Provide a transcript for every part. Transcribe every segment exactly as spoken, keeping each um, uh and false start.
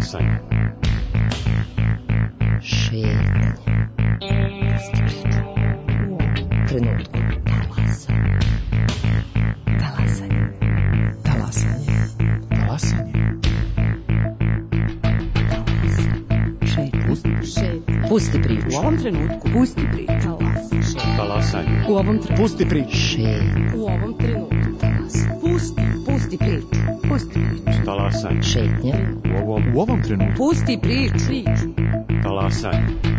Talasanje. Šetnje. U trenutku. Talasanje. Talasanje. Talasanje. Pusti priču. U ovom trenutku. Pusti priču. Talasanje. U ovom trenutku. Pusti priču. U ovom trenutku. Pusti. Pusti priču. Pusti priču. Talasanje. Šetnja. U ovom, U ovom trenutku. Pusti priču. talasanje.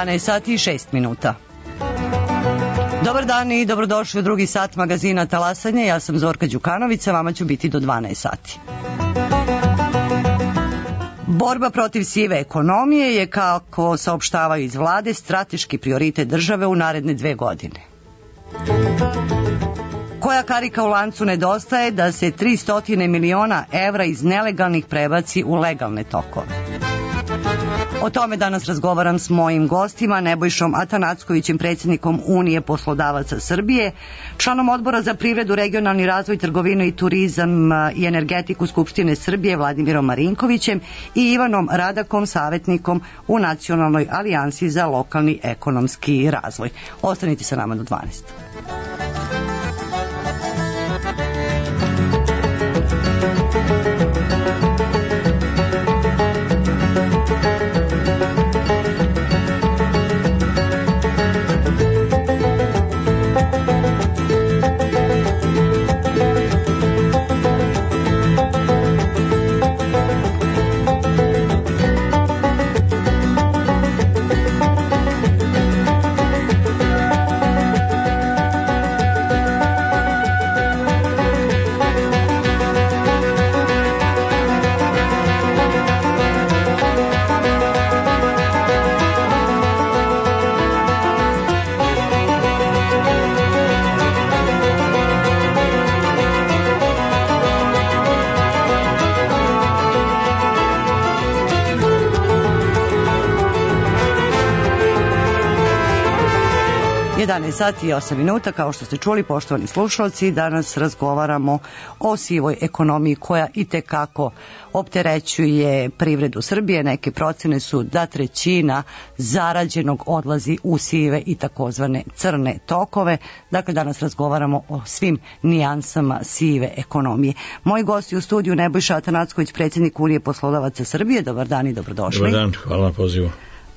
jedanaest sati i šest minuta. Dobar dan i dobrodošli u drugi sat magazina Talasanje. Ja sam Zorka Đukanović, vama ću biti do dvanaest sati. Borba protiv sive ekonomije je, kako saopštavaju iz vlade, strateški prioritet države u naredne dve godine. Koja karika u lancu nedostaje da se tristo miliona evra iz nelegalnih prebaci u legalne tokove? O tome danas razgovaram s mojim gostima, Nebojšom Atanackovićem, predsjednikom Unije poslodavaca Srbije, članom Odbora za privredu, regionalni razvoj, trgovinu i turizam i energetiku Skupštine Srbije Vladimirom Marinkovićem i Ivanom Radakom, savjetnikom u Nacionalnoj alijansi za lokalni ekonomski razvoj. Ostanite sa nama do dvanaest. jedanaest sati i osam minuta, kao što ste čuli, poštovani slušalci, danas razgovaramo o sivoj ekonomiji koja itekako opterećuje privredu Srbije. Neke procene su da trećina zarađenog odlazi u sive i takozvane crne tokove. Dakle, danas razgovaramo o svim nijansama sive ekonomije. Moji gosti u studiju: Nebojša Atanacković, predsjednik Unije poslodavaca Srbije. Dobar dan i dobrodošli. Dobar dan, hvala na pozivu.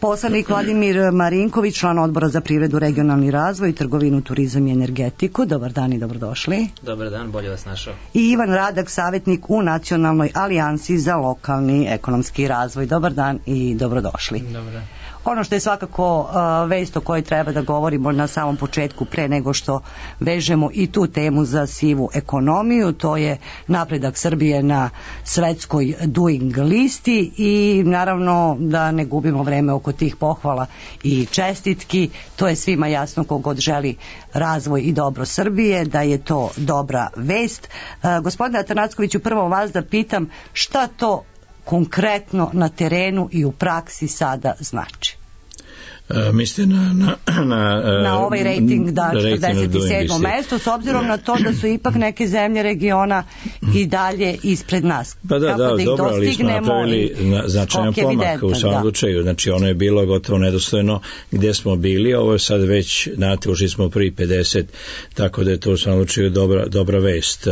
Poslanik Vladimir Marinković, član Odbora za privredu, regionalni razvoj, trgovinu, turizam i energetiku. Dobar dan i dobrodošli. Dobar dan, bolje vas našao. I Ivan Radak, savjetnik u Nacionalnoj alijansi za lokalni ekonomski razvoj. Dobar dan i dobrodošli. Dobar dan. Ono što je svakako uh, vest o kojoj treba da govorimo na samom početku, pre nego što vežemo i tu temu za sivu ekonomiju, to je napredak Srbije na svetskoj doing listi i naravno da ne gubimo vreme oko tih pohvala i čestitki. To je svima jasno kogod želi razvoj i dobro Srbije, da je to dobra vest. Uh, gospodine Atanackoviću, prvo vas da pitam šta to konkretno na terenu i u praksi sada znači? Uh, mislite na, na, na, uh, na ovaj rating da četrdeset sedmo mesto, s obzirom na to da su ipak neke zemlje regiona i dalje ispred nas. Pa da, Kako da, da ih dobro, ali smo napravili značajan pomak u svakom slučaju. Znači ono je bilo gotovo nedostojno gdje smo bili, ovo je sad već, znate, ušli smo prvi pedeset, tako da je to u svakom slučaju dobra, dobra vest.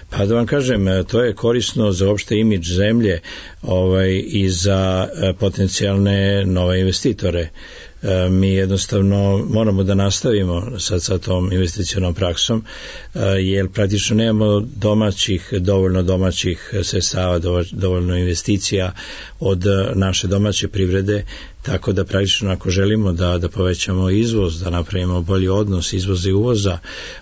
Pa da vam kažem, to je korisno za opšte imidž zemlje ovaj, i za potencijalne nove investitore. Mi jednostavno moramo da nastavimo sad sa tom investicionom praksom, jer praktično nemamo domaćih, dovoljno domaćih sredstava, dovoljno investicija od naše domaće privrede, tako da praktično ako želimo da, da povećamo izvoz, da napravimo bolji odnos izvoza i uvoza,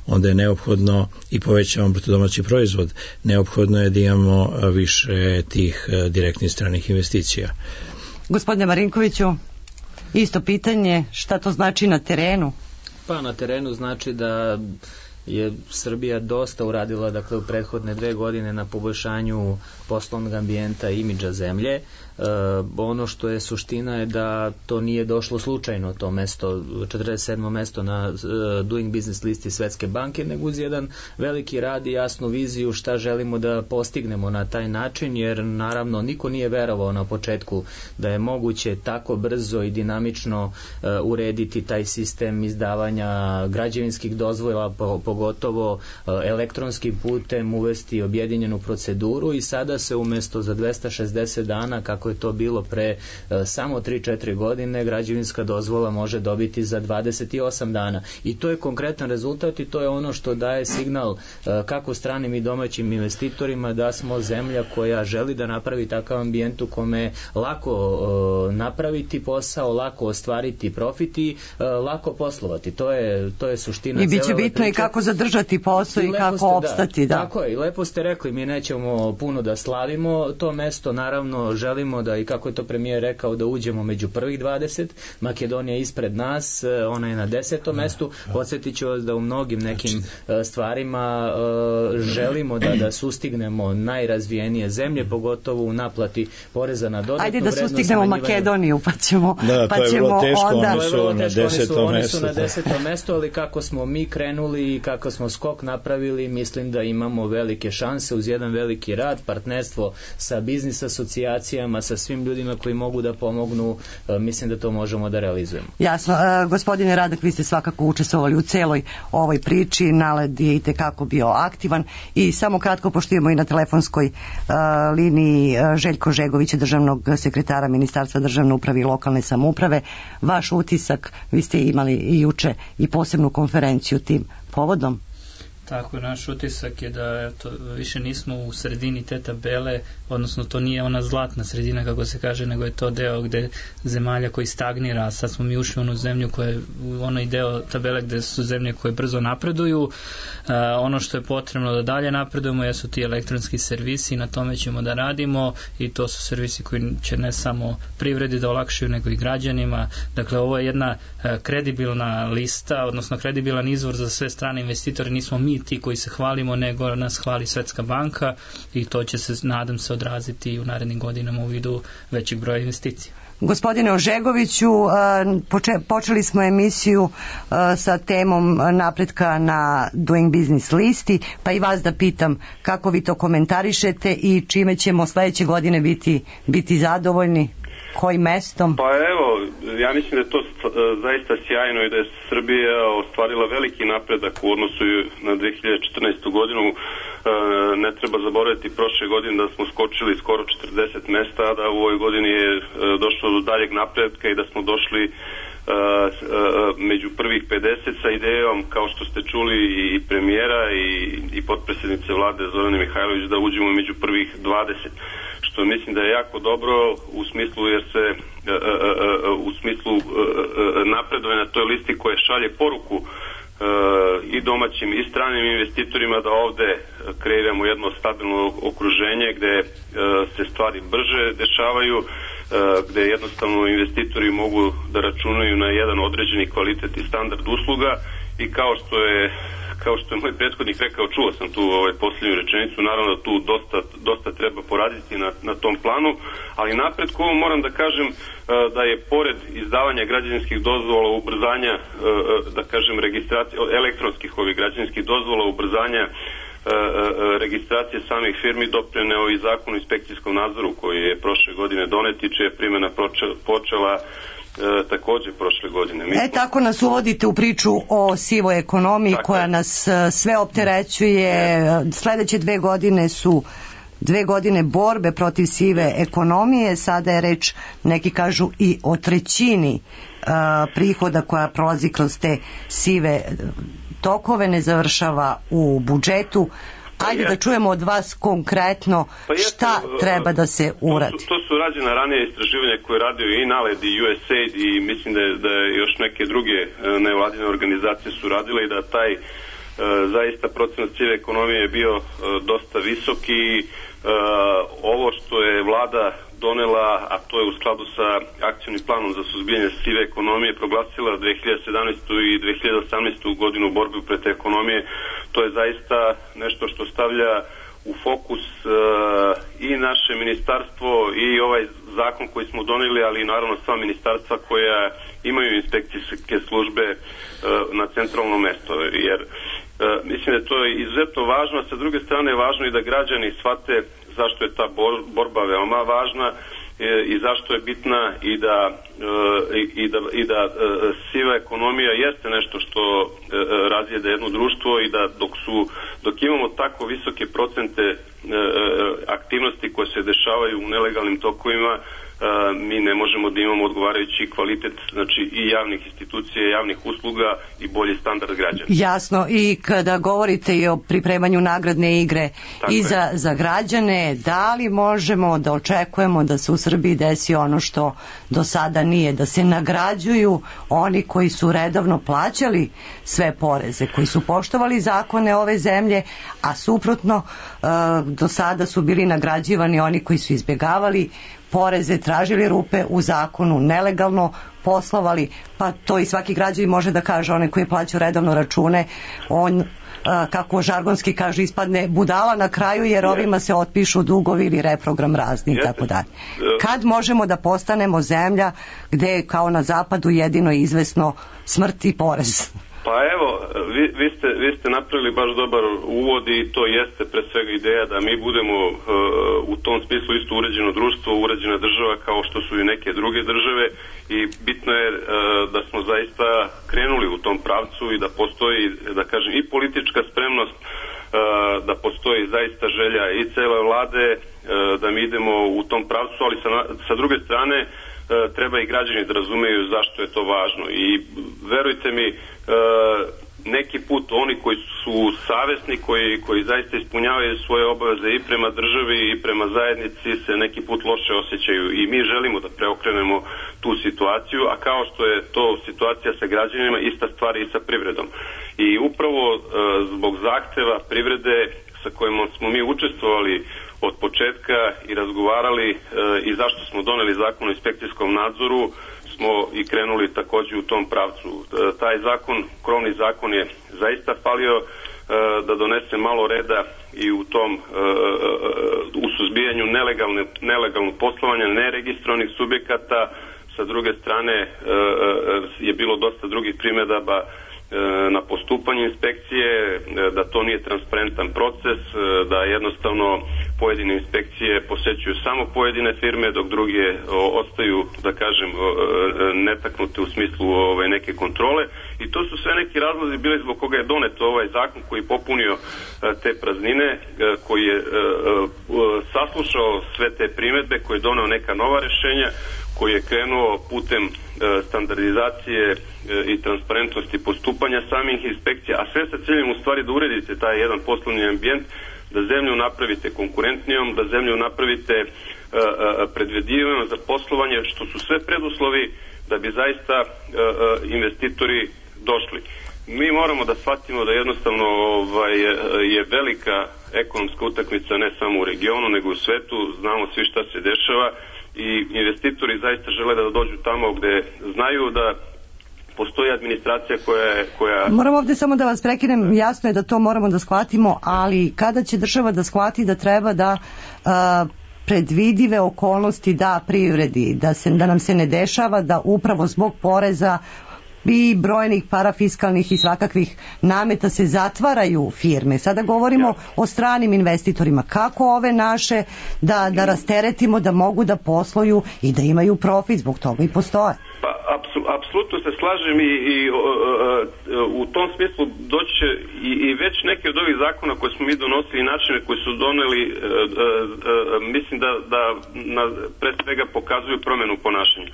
onda je neophodno i povećamo bruto domaći proizvod, neophodno je da imamo više tih direktnih stranih investicija. Gospodine Marinkoviću, isto pitanje, šta to znači na terenu? Pa na terenu znači da je Srbija dosta uradila, dakle, u prethodne dve godine na poboljšanju poslovnog ambijenta i imidža zemlje. E, ono što je suština je da to nije došlo slučajno, to mesto, četrdeset sedmo mesto na uh, Doing Business listi Svetske banke, nego uz jedan veliki rad i jasnu viziju šta želimo da postignemo na taj način, jer naravno niko nije verovao na početku da je moguće tako brzo i dinamično uh, urediti taj sistem izdavanja građevinskih dozvola, po, pogotovo uh, elektronskim putem uvesti objedinjenu proceduru i sada se umesto za dvesta šezdeset dana, kako je to bilo pre uh, samo tri četiri godine, građevinska dozvola može dobiti za dvadeset osam dana. I to je konkretan rezultat i to je ono što daje signal uh, kako stranim i domaćim investitorima da smo zemlja koja želi da napravi takav ambijent u kome lako uh, napraviti posao, lako ostvariti profit i uh, lako poslovati. To je, to je suština. I bit će bitno priče. I kako zadržati posao i, i kako ste, opstati. Da, da. Tako je, i lepo ste rekli, mi nećemo puno da slavimo to mesto, naravno želimo da, i kako je to premijer rekao, da uđemo među prvih dvadeset. Makedonija je ispred nas, ona je na desetom mestu. Podsjetit ću vas da u mnogim nekim stvarima želimo da, da sustignemo najrazvijenije zemlje, pogotovo u naplati poreza na dodatnu vrednost. Ajde da sustignemo Makedoniju, pa ćemo, da, pa to je ćemo vrlo teško, onda... oni su na desetom oni mestu. su na desetom mestu, ali kako smo mi krenuli i kako smo skok napravili, mislim da imamo velike šanse uz jedan veliki rad, partnerstvo sa biznis asocijacijama, sa svim ljudima koji mogu da pomognu, mislim da to možemo da realizujemo. Jasno. E, gospodine Radak, vi ste svakako učestvovali u celoj ovoj priči, Naled je i tekako bio aktivan i samo kratko, pošto imamo i na telefonskoj uh, liniji uh, Željko Žegovića, državnog sekretara Ministarstva državne uprave i lokalne samouprave, vaš utisak, vi ste imali i juče i posebnu konferenciju tim povodom. Tako, naš utisak je da eto, više nismo u sredini te tabele, odnosno to nije ona zlatna sredina kako se kaže, nego je to deo gde zemalja koji stagnira, a sad smo mi ušli u onu zemlju koja je u onaj deo tabele gde su zemlje koje brzo napreduju. E, ono što je potrebno da dalje napredujemo jesu ti elektronski servisi, na tome ćemo da radimo i to su servisi koji će ne samo privredi da olakšaju, nego i građanima. Dakle, ovo je jedna e, kredibilna lista, odnosno kredibilan izvor za sve strane investitore, nismo mi ti koji se hvalimo, nego nas hvali Svetska banka i to će se, nadam se, odraziti u narednim godinama u vidu većeg broja investicija. Gospodine Ožegoviću, počeli smo emisiju sa temom napretka na Doing Business listi, pa i vas da pitam kako vi to komentarišete i čime ćemo sledeće godine biti, biti zadovoljni, kojim mestom? Pa evo, ja mislim da je to zaista sjajno i da je Srbija ostvarila veliki napredak u odnosu na dve hiljade četrnaestu godinu. Ne treba zaboraviti prošle godine da smo skočili skoro četrdeset mesta, a da u ovoj godini je došlo do daljeg napredka i da smo došli među prvih pedeset sa idejom, kao što ste čuli, i premijera i, i potpredsjednice vlade Zorane Mihajlović, da uđemo među prvih dvadeset, što mislim da je jako dobro u smislu jer se u smislu napredovanja na toj listi koje šalje poruku i domaćim i stranim investitorima da ovde kreiramo jedno stabilno okruženje gde se stvari brže dešavaju, gde jednostavno investitori mogu da računaju na jedan određeni kvalitet i standard usluga i kao što je kao što je moj prethodnik rekao, čuo sam tu ovaj, posljednju rečenicu, naravno da tu dosta, dosta treba poraditi na, na tom planu, ali napretku moram da kažem da je pored izdavanja građevinskih dozvola, ubrzanja, da kažem, registracije, elektronskih ovih građevinskih dozvola, ubrzanja registracije samih firmi doprineo i zakon o inspekcijskom nadzoru koji je prošle godine donet i čija je primjena počela E, takođe prošle godine. Mi e, tako nas uvodite u priču o sivoj ekonomiji tako koja je. nas sve opterećuje. Sledeće dve godine su dve godine borbe protiv sive ekonomije. Sada je reč, neki kažu, i o trećini a, prihoda koja prolazi kroz te sive tokove, ne završava u budžetu. Ajde pa da čujemo od vas konkretno pa šta jeste, treba da se uradi. To su, to su rađena ranije istraživanja koje je radio i NALED i U S A I D i mislim da je, da je još neke druge nevladine organizacije su radile i da taj e, zaista procenat sive ekonomije je bio e, dosta visok i e, ovo što je vlada donela, a to je u skladu sa akcijnim planom za suzbijanje sive ekonomije, proglasila dve hiljade sedamnaestu i dve hiljade osamnaestu godinu borbe protiv ekonomije. To je zaista nešto što stavlja u fokus uh, i naše ministarstvo i ovaj zakon koji smo doneli, ali naravno sva ministarstva koja imaju inspekcijske službe uh, na centralno mesto. Jer uh, mislim da to je izuzetno važno, a sa druge strane je važno i da građani shvate zašto je ta borba veoma važna i zašto je bitna i da, i da, i da siva ekonomija jeste nešto što razjede jedno društvo i da dok su dok imamo tako visoke procente aktivnosti koje se dešavaju u nelegalnim tokovima, mi ne možemo da imamo odgovarajući kvalitet, znači i javnih institucija, javnih usluga i bolji standard građana. Jasno, i kada govorite i o pripremanju nagradne igre tako i za, za građane, da li možemo da očekujemo da se u Srbiji desi ono što do sada nije, da se nagrađuju oni koji su redovno plaćali sve poreze, koji su poštovali zakone ove zemlje, a suprotno do sada su bili nagrađivani oni koji su izbjegavali poreze, tražili rupe u zakonu, nelegalno poslovali, pa to i svaki građanin može da kaže, onaj koji plaća redovno račune, on, kako žargonski kaže, ispadne budala na kraju, jer ovima se otpišu dugovi ili reprogram razni i tako dalje. Kad možemo da postanemo zemlja gde je kao na zapadu jedino izvesno smrt i porez? Pa evo, vi, vi, ste, vi ste napravili baš dobar uvod i to jeste pre svega ideja da mi budemo uh, u tom smislu isto uređeno društvo, uređena država kao što su i neke druge države i bitno je uh, da smo zaista krenuli u tom pravcu i da postoji, da kažem, i politička spremnost, uh, da postoji zaista želja i cele vlade uh, da mi idemo u tom pravcu, ali sa, sa druge strane treba i građani da razumeju zašto je to važno i verujte mi, neki put oni koji su savesni, koji, koji zaista ispunjavaju svoje obaveze i prema državi i prema zajednici se neki put loše osjećaju i mi želimo da preokrenemo tu situaciju, a kao što je to situacija sa građanima, ista stvar i sa privredom. I upravo zbog zahteva privrede sa kojima smo mi učestvovali od početka i razgovarali e, i zašto smo doneli zakon o inspekcijskom nadzoru, smo i krenuli takođe u tom pravcu. E, taj zakon, krovni zakon je zaista falio e, da donese malo reda i u tom e, u suzbijanju nelegalne, nelegalnog poslovanja neregistrovanih subjekata. Sa druge strane e, je bilo dosta drugih primedaba na postupanje inspekcije, da to nije transparentan proces, da jednostavno pojedine inspekcije posećuju samo pojedine firme, dok druge ostaju, da kažem, netaknute u smislu ove, neke kontrole. I to su sve neki razlozi bili zbog koga je donet ovaj zakon koji je popunio te praznine, koji je saslušao sve te primedbe, koji je doneo neka nova rešenja, koji je krenuo putem e, standardizacije e, i transparentnosti postupanja samih inspekcija, a sve sa ciljem u stvari da uredite taj jedan poslovni ambijent, da zemlju napravite konkurentnijom, da zemlju napravite e, e, predvidivijom za poslovanje, što su sve preduslovi da bi zaista e, e, investitori došli. Mi moramo da shvatimo da jednostavno ovaj, je velika ekonomska utakmica ne samo u regionu, nego u svetu, znamo svi šta se dešava, i investitori zaista žele da dođu tamo gde znaju da postoji administracija koja je... Koja... Moram ovde samo da vas prekinem, jasno je da to moramo da shvatimo, ali kada će država da shvati da treba da a, predvidive okolnosti da privredi, da, se, da nam se ne dešava da upravo zbog poreza i brojnih parafiskalnih i svakakvih nameta se zatvaraju firme. Sada govorimo ja. o stranim investitorima. Kako ove naše da, da rasteretimo, da mogu da posluju i da imaju profit, zbog toga i postoje. Pa, apsolutno se slažem i, i o, o, u tom smislu doći će i, i već neki od ovih zakona koje smo mi donosili i načine koji su doneli, e, e, mislim da, da na, pre svega pokazuju promenu ponašanja.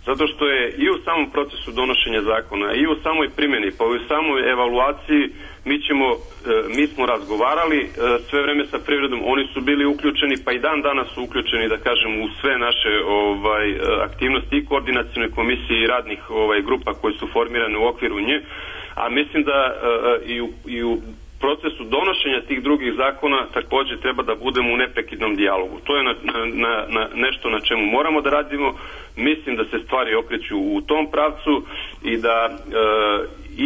Zato što je i u samom procesu donošenja zakona, i u samoj primjeni, pa i u samoj evaluaciji mi ćemo, mi smo razgovarali sve vreme sa privredom, oni su bili uključeni, pa i dan danas su uključeni, da kažem, u sve naše ovaj, aktivnosti i koordinacione komisije i radnih ovaj, grupa koje su formirane u okviru nje, a mislim da i u, i u procesu donošenja tih drugih zakona također treba da budemo u neprekidnom dijalogu. To je na, na, na nešto na čemu moramo da radimo. Mislim da se stvari okreću u tom pravcu i da e,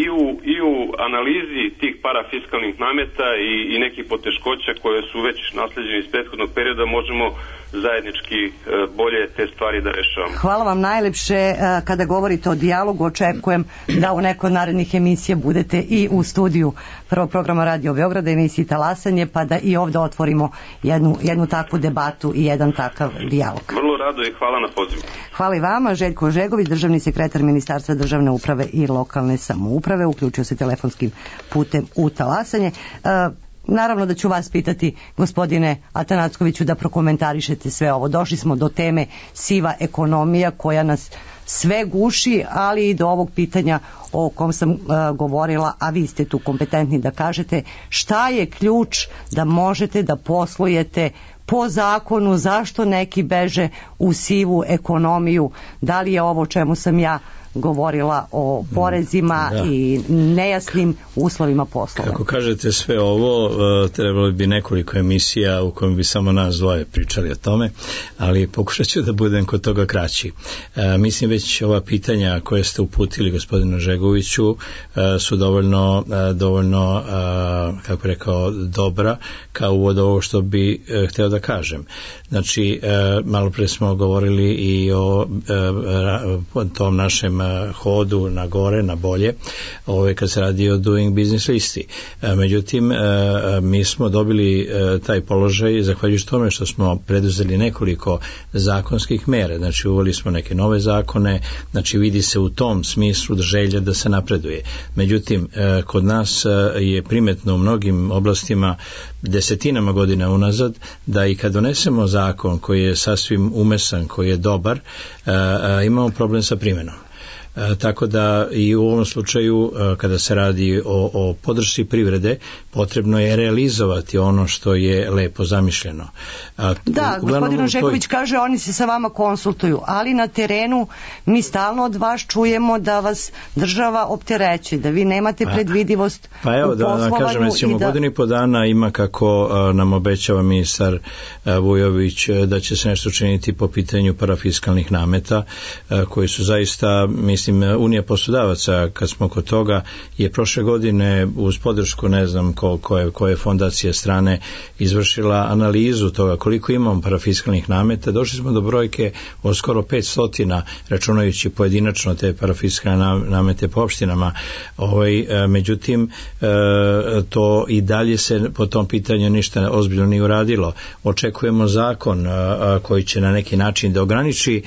i, u, i u analizi tih parafiskalnih nameta i, i nekih poteškoća koje su već nasleđene iz prethodnog perioda možemo zajednički e, bolje te stvari da rešavamo. Hvala vam najlepše. Kada govorite o dijalogu, očekujem da u nekoj od narednih emisija budete i u studiju prvog programa Radio Beograda, emisiji Talasanje, pa da i ovde otvorimo jednu, jednu takvu debatu i jedan takav dijalog. Vrlo rado i hvala na pozivu. Hvala i vama. Željko Žegović, državni sekretar Ministarstva državne uprave i lokalne samouprave, uključio se telefonskim putem u Talasanje. Uh, Naravno da ću vas pitati, gospodine Atanackoviću, da prokomentarišete sve ovo. Došli smo do teme siva ekonomija koja nas sve guši, ali i do ovog pitanja o kom sam uh, govorila, a vi ste tu kompetentni da kažete šta je ključ da možete da poslujete po zakonu, zašto neki beže u sivu ekonomiju, da li je ovo čemu sam ja govorila o porezima da. i nejasnim uslovima poslova. Kako kažete sve ovo, trebalo bi nekoliko emisija u kojem bi samo nas dvoje pričali o tome, ali pokušat ću da budem kod toga kraći. E, mislim već ova pitanja koje ste uputili gospodinu Žegoviću e, su dovoljno, e, dovoljno e, kako rekao, dobra kao uvod ovo što bi e, hteo da kažem. Znači, e, malo pre smo govorili i o e, tom našem hodu na gore, na bolje, ove kad se radi o Doing Business listi. E, međutim, e, mi smo dobili e, taj položaj zahvaljujući tome što smo preduzeli nekoliko zakonskih mera. Znači, uveli smo neke nove zakone, znači vidi se u tom smislu da želja da se napreduje. Međutim, e, kod nas je primetno u mnogim oblastima desetinama godina unazad da i kad donesemo zakon koji je sasvim umesan, koji je dobar, e, e, imamo problem sa primenom. E, tako da i u ovom slučaju e, kada se radi o, o podršci privrede potrebno je realizovati ono što je lepo zamišljeno. A, da, gospodin Žeković toj... kaže oni se sa vama konsultuju, ali na terenu mi stalno od vas čujemo da vas država optereći, da vi nemate pa, predvidivost pa evo, u poslovanju. Da kažem, recimo, da... godinu i po dana ima kako a, nam obećava ministar a, Vujović a, da će se nešto učiniti po pitanju parafiskalnih nameta a, koji su zaista, mislim, Unija poslodavaca, kad smo kod toga, je prošle godine uz podršku, ne znam ko, koje, koje fondacije strane, izvršila analizu toga koliko imamo parafiskalnih nameta. Došli smo do brojke od skoro petsto, računajući pojedinačno te parafiskalne namete po opštinama. Ovaj, međutim, to i dalje se po tom pitanju ništa ozbiljno nije uradilo. Očekujemo zakon koji će na neki način da ograniči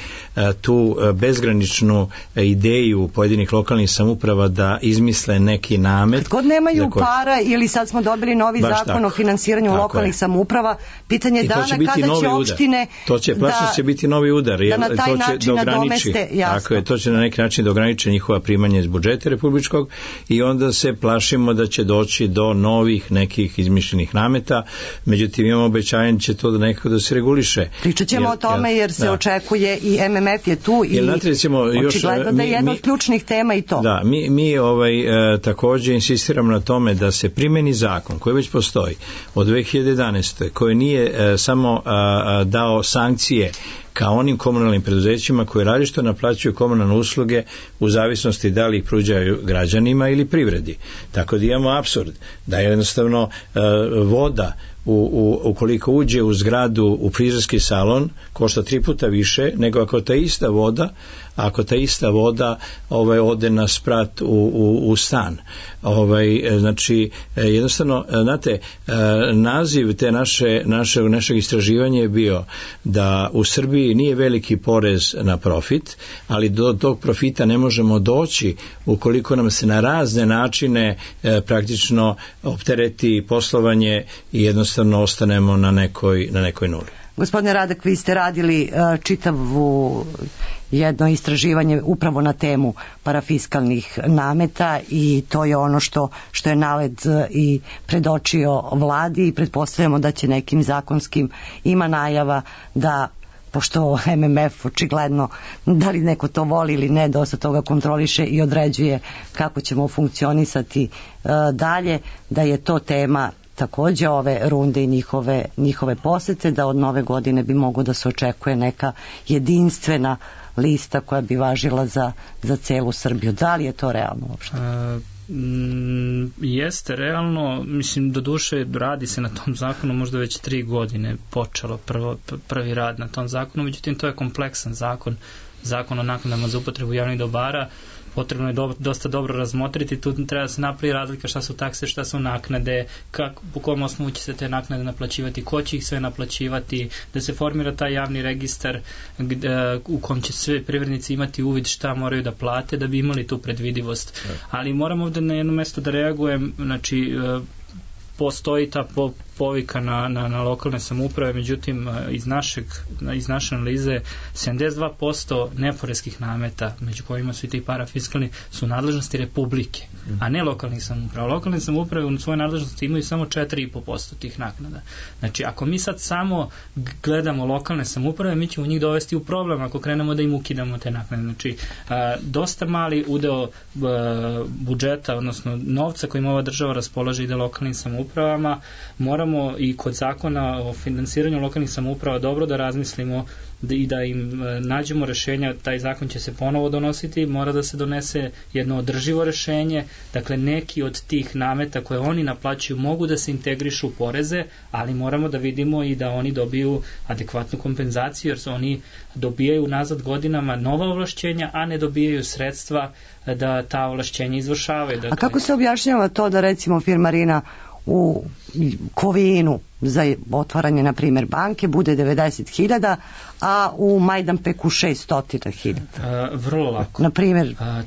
tu bezgraničnu ideju pojedinih lokalnih samouprava da izmisle neki namet. Kad god nemaju ko... para ili sad smo dobili novi Baš zakon tako. o finansiranju tako lokalnih je. samouprava, pitanje dana će kada će opštine to će plašno da, će biti novi udar, jer da na taj to će način nadomeste, tako je, to će na neki način da ograniči njihova primanja iz budžeta republičkog i onda se plašimo da će doći do novih nekih izmišljenih nameta. Međutim, imamo obećanje će to da nekako da se reguliše. Pričat ćemo jer, o tome jer se da. očekuje i M M F je tu i jer, recimo, još, očigledno da je jedna od ključnih tema i to. Da, mi, mi ovaj, e, također insistiramo na tome da se primeni zakon koji već postoji od dve hiljade jedanaeste. koji nije e, samo a, dao sankcije kao onim komunalnim preduzećima koji različito naplaćuju komunalne usluge u zavisnosti da li ih pružaju građanima ili privredi. Tako da imamo apsurd da jednostavno e, voda U, u, ukoliko uđe u zgradu u frizerski salon košta tri puta više nego ako ta ista voda ako ta ista voda ovaj, ode na sprat u, u, u stan. Ovaj, znači jednostavno znate, naziv te naše, naše, našeg istraživanja je bio da u Srbiji nije veliki porez na profit, ali do tog profita ne možemo doći ukoliko nam se na razne načine e, praktično optereti poslovanje i jednostavno ostanemo na nekoj, na nekoj nuli. Gospodine Radak, vi ste radili uh, čitavu jedno istraživanje upravo na temu parafiskalnih nameta i to je ono što, što je NALED i predočio vladi i pretpostavljamo da će nekim zakonskim, ima najava da pošto M M F očigledno, da li neko to voli ili ne, dosta toga kontroliše i određuje kako ćemo funkcionisati uh, dalje, da je to tema takođe ove runde i njihove, njihove posete, da od nove godine bi moglo da se očekuje neka jedinstvena lista koja bi važila za, za celu Srbiju. Da li je to realno uopšte? Uh, mm, jeste realno, mislim, do duše radi se na tom zakonu možda već tri godine počelo prvo, prvi rad na tom zakonu, međutim to je kompleksan zakon, zakon o naknadama za upotrebu javnih dobara. Potrebno je do, dosta dobro razmotriti, tu treba da se napravi razlika šta su takse, šta su naknade, kako, po kom osnovu će se te naknade naplaćivati, ko će ih sve naplaćivati, da se formira taj javni registar gde, u kom će sve privrednici imati uvid šta moraju da plate da bi imali tu predvidivost. Ali moram ovde na jedno mesto da reagujem, znači postoji ta po, povika na, na, na lokalne samouprave, međutim iz, našeg, iz naše analize sedamdeset dva posto neporeskih nameta, među kojima su i ti parafiskalni, su nadležnosti Republike, a ne lokalnih samouprava. Lokalne samouprave u svojoj nadležnosti imaju samo četiri zarez pet posto tih naknada. Znači, ako mi sad samo gledamo lokalne samouprave, mi ćemo njih dovesti u problem ako krenemo da im ukidamo te naknade. Znači, a, dosta mali udeo a, budžeta, odnosno novca kojim ova država raspolaže ide lokalnim samoupravama, moramo i kod zakona o finansiranju lokalnih samouprava dobro da razmislimo i da im nađemo rešenja. Taj zakon će se ponovo donositi, mora da se donese jedno održivo rešenje, dakle neki od tih nameta koje oni naplaćuju mogu da se integrišu u poreze, ali moramo da vidimo i da oni dobiju adekvatnu kompenzaciju, jer su oni dobijaju nazad godinama nova ovlašćenja, a ne dobijaju sredstva da ta ovlašćenja izvršavaju. Dakle, a kako se objašnjava to da recimo firmarina u Kovinu za otvaranje, na primjer, banke bude devedeset hiljada, a u Majdanpeku šessto hiljada? Vrlo lako. Na primjer? A,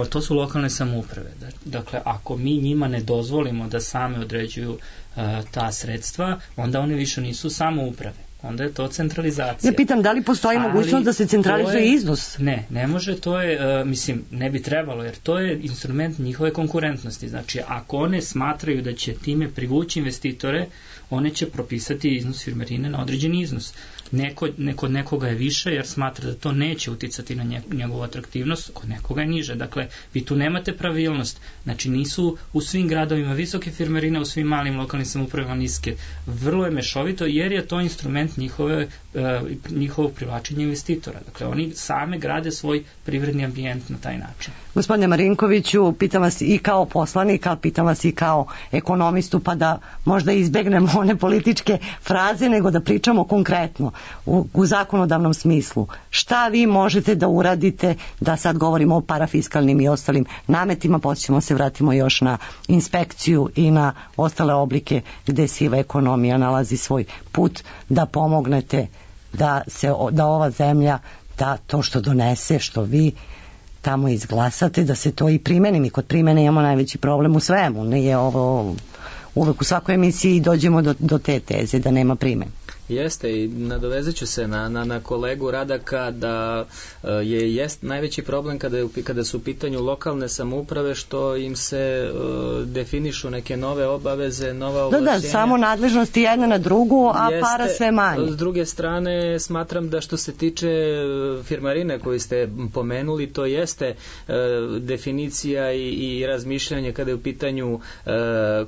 to su lokalne samouprave. Dakle, ako mi njima ne dozvolimo da same određuju a, ta sredstva, onda one više nisu samouprave. Onda je to centralizacija. Ja pitam, da li postoji ali mogućnost da se centralizuje je, iznos? Ne, ne može, to je, uh, mislim, ne bi trebalo, jer to je instrument njihove konkurentnosti. Znači, ako one smatraju da će time privući investitore, one će propisati iznos firmarine na određeni iznos. Neko, neko, nekoga je više jer smatra da to neće uticati na njegovu atraktivnost, kod nekoga je niže. Dakle, vi tu nemate pravilnost. Znači, nisu u svim gradovima visoke firmarine, u svim malim lokalnim samoupravama niske. Vrlo je mešovito jer je to instrument njihove, uh, njihovog privlačenja investitora. Dakle, oni same grade svoj privredni ambijent na taj način. Gospodine Marinkoviću, pitam vas i kao poslanik, ali pitam vas i kao ekonomistu, pa da možda izbegnemo one političke fraze, nego da pričamo konkretno u, u zakonodavnom smislu. Šta vi možete da uradite, da sad govorimo o parafiskalnim i ostalim nametima, pa ćemo se vratimo još na inspekciju i na ostale oblike gde siva ekonomija nalazi svoj put, da pomognete da, se, da ova zemlja, da to što donese, što vi tamo izglasate, da se to i primeni. Mi kod primene imamo najveći problem u svemu. Nije ovo uvek u svakoj emisiji dođemo do, do te teze da nema primene. Jeste, i nadovezat ću se na, na, na kolegu Radaka da je jest najveći problem kada, je, kada su u pitanju lokalne samouprave što im se uh, definišu neke nove obaveze, nova ovlašćenja. Da, da, samo nadležnosti jedna na drugu, a Jeste, para sve manje. S druge strane, smatram da što se tiče firmarine koju ste pomenuli, to jeste uh, definicija i, i razmišljanje kada je u pitanju uh,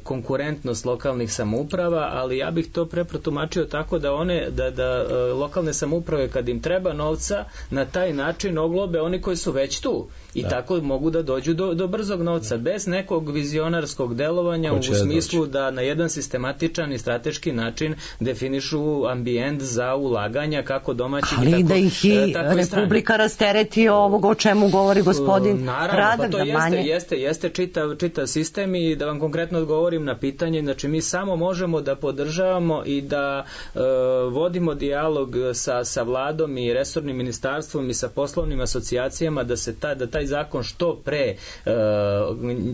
konkurentnost lokalnih samouprava, ali ja bih to preprotumačio tako da one, da, da uh, lokalne samouprave kad im treba novca, na taj način oglobe oni koji su već tu i da. Tako mogu da dođu do, do brzog novca, da. Bez nekog vizionarskog delovanja u smislu da, da na jedan sistematičan i strateški način definišu ambijent za ulaganja kako domaćih ali i tako, da ih i Republika rastereti ovog o čemu govori gospodin Naravno, Radak, pa to da jeste, manje... jeste, jeste čitav, čitav sistem i da vam konkretno odgovorim na pitanje, znači mi samo možemo da podržavamo i da uh, vodimo dijalog sa, sa vladom i resornim ministarstvom i sa poslovnim asocijacijama da se ta, da taj zakon što pre uh,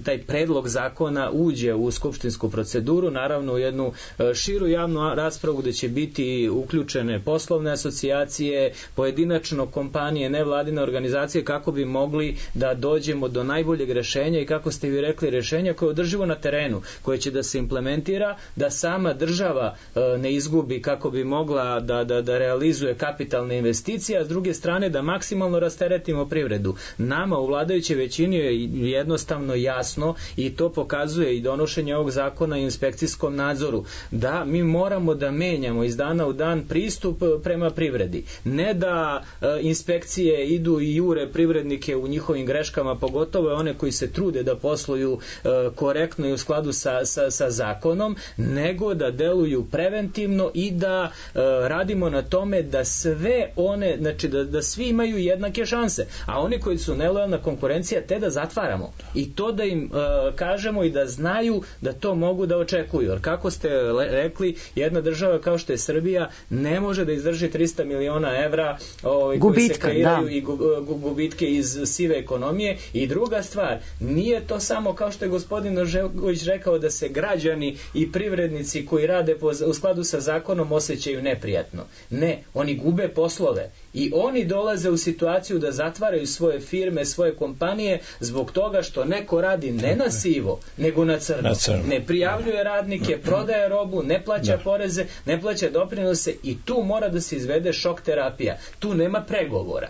taj predlog zakona uđe u skupštinsku proceduru, naravno u jednu uh, širu javnu raspravu gde će biti uključene poslovne asocijacije, pojedinačno kompanije, nevladine organizacije kako bi mogli da dođemo do najboljeg rešenja i kako ste vi rekli rešenja koje je održivo na terenu, koje će da se implementira, da sama država uh, ne izgubi kako bi mogla da, da, da realizuje kapitalne investicije, a s druge strane da maksimalno rasteretimo privredu. Nama u vladajućoj većini je jednostavno jasno i to pokazuje i donošenje ovog zakona i inspekcijskom nadzoru, da mi moramo da menjamo iz dana u dan pristup prema privredi. Ne da e, inspekcije idu i jure privrednike u njihovim greškama, pogotovo one koji se trude da posluju e, korektno i u skladu sa, sa, sa zakonom, nego da deluju preventivno i da e, radimo na tome da sve one, znači da, da svi imaju jednake šanse, a oni koji su nelojalna konkurencija te da zatvaramo i to da im uh, kažemo i da znaju da to mogu da očekuju, jer kako ste rekli, jedna država kao što je Srbija ne može da izdrži trista miliona evra ovaj, koji se kreiraju da. I gu, gu, gubitke iz sive ekonomije. I druga stvar, nije to samo kao što je gospodin Ožegović rekao da se građani i privrednici koji rade po, u skladu sa zakonom osjećaju neprijatno. Ne, oni gube poslove i oni dolaze u situaciju da zatvaraju svoje firme, svoje kompanije zbog toga što neko radi ne na sivo, nego na crno. Na crno. Ne prijavljuje radnike, prodaje robu, ne plaća da. poreze, ne plaća doprinose i tu mora da se izvede šok terapija. Tu nema pregovora.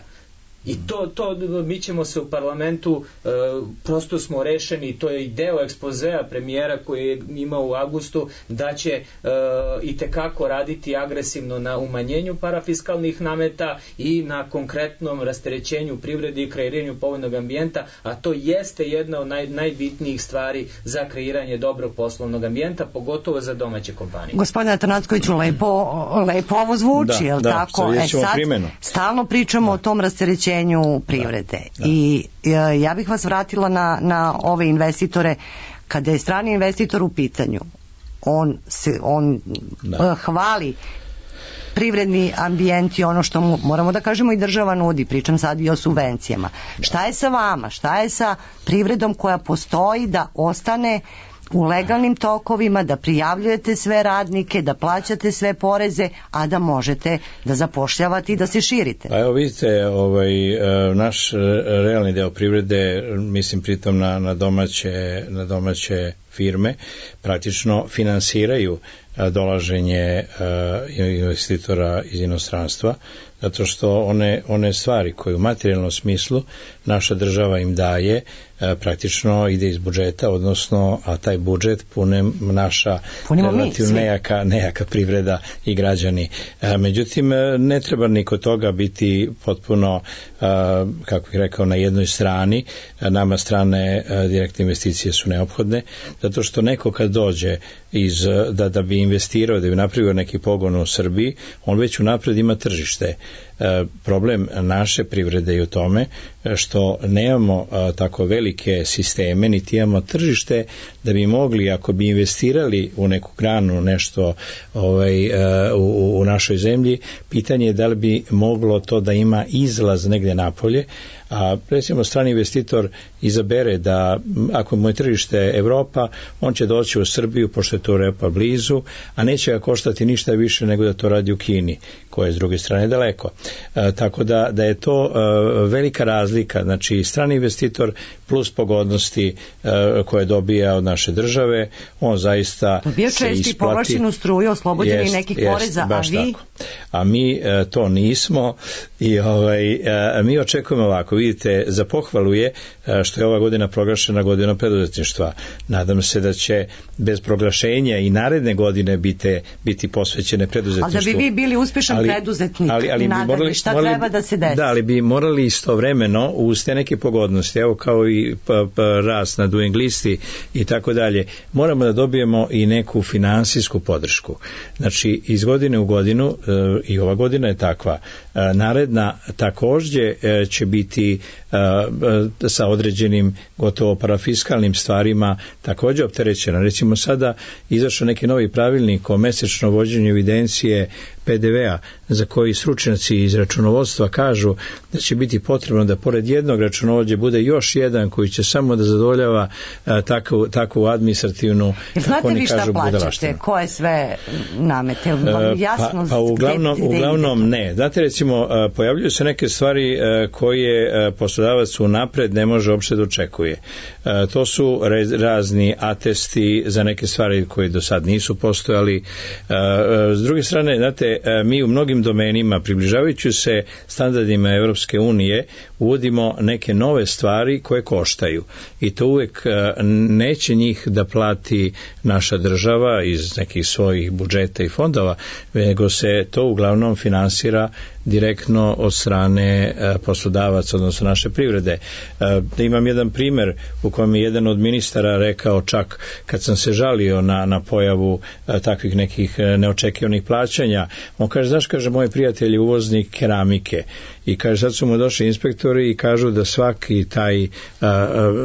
I to, to mi ćemo se u parlamentu e, prosto smo rešeni, to je i deo ekspozea premijera koji je imao u avgustu, da će e, i tekako raditi agresivno na umanjenju parafiskalnih nameta i na konkretnom rasterećenju privrede i kreiranju povoljnog ambijenta, a to jeste jedna od naj, najbitnijih stvari za kreiranje dobrog poslovnog ambijenta, pogotovo za domaće kompanije. Gospodine Atanackoviću, lepo, lepo ovo zvuči, da, je li da, tako? E sad, primjenu. stalno pričamo da. o tom rasterećenju privrede. Da, da. I ja bih vas vratila na, na ove investitore. Kada je strani investitor u pitanju, on, se, on da. hvali privredni ambijent i ono što mu, moramo da kažemo i država nudi, pričam sad i o subvencijama. Da. Šta je sa vama? Šta je sa privredom koja postoji da ostane u legalnim tokovima, da prijavljujete sve radnike, da plaćate sve poreze, a da možete da zapošljavate i da se širite? Pa evo vidite, ovaj, naš realni deo privrede, mislim pritom na, na, domaće, na domaće firme, praktično finansiraju dolaženje investitora iz inostranstva, zato što one, one stvari koje u materijalnom smislu naša država im daje praktično ide iz budžeta, odnosno a taj budžet pune naša Punimo relativno nejaka, nejaka privreda i građani. Međutim, ne treba ni kod toga biti potpuno, kako bih rekao, na jednoj strani. Nama strane direktne investicije su neophodne, zato što neko kad dođe iz, da, da bi investirao, da bi napravio neki pogon u Srbiji, on već unapred ima tržište. Problem naše privrede je u tome što nemamo tako velike sisteme, niti imamo tržište da bi mogli, ako bi investirali u neku granu nešto ovaj, u, u našoj zemlji, pitanje je da li bi moglo to da ima izlaz negde napolje, a recimo strani investitor izabere da ako mu je tržište Evropa, on će doći u Srbiju pošto je to Evropa blizu, a neće ga koštati ništa više nego da to radi u Kini, koja je s druge strane daleko. E, tako da, da je to e, velika razlika, znači strani investitor plus pogodnosti e, koje dobija od naše države, on zaista dobija se isplati. Česti povlačenu struju, oslobođeni jest, nekih jest, poreza, a vi? Tako. A mi e, to nismo i ovaj, e, mi očekujemo ovako, vidite, za pohvalu je e, što je ova godina proglašena godinom preduzetništva. Nadam se da će bez proglašenja i naredne godine biti, biti posvećene preduzetništvu. Ali da bi vi bili uspešan ali, preduzetnik ali, ali i nadalje, morali, šta morali, treba da se desi? Da, ali bi morali istovremeno uz te neke pogodnosti, evo kao i pa, pa, rast na Doing listi i tako dalje, moramo da dobijemo i neku finansijsku podršku. Znači, iz godine u godinu, e, i ova godina je takva, e, naredna takođe e, će biti e, e, sa određenim gotovo parafiskalnim stvarima takođe opterećena. Recimo sada izašao neki novi pravilnik o mesečno vođenju evidencije P D V-a za koji stručnjaci iz računovodstva kažu da će biti potrebno da pored jednog računovođe bude još jedan koji će samo da zadovoljava a, takvu, takvu administrativnu, kako oni kažu, budalaštinu. Znate vi šta plaćate? Koje sve namete? Jasno, pa, pa uglavnom, gde, gde uglavnom ne. Znate, recimo, pojavljuju se neke stvari koje poslodavac unapred ne može uopšte da očekuje. To su razni atesti za neke stvari koje do sad nisu postojali. S druge strane, znate, mi u mnogim domenima, približavajući se standardima Evropske unije, uvodimo neke nove stvari koje koštaju. I to uvek neće njih da plati naša država iz nekih svojih budžeta i fondova, nego se to uglavnom finansira direktno od strane poslodavaca, odnosno naše privrede. Da imam jedan primer u kojem je jedan od ministara rekao, čak kad sam se žalio na, na pojavu takvih nekih neočekivanih plaćanja, on kaže, znaš, kaže, moj prijatelj je uvoznik keramike i kaže, sad su mu došli inspektori i kažu da svaki taj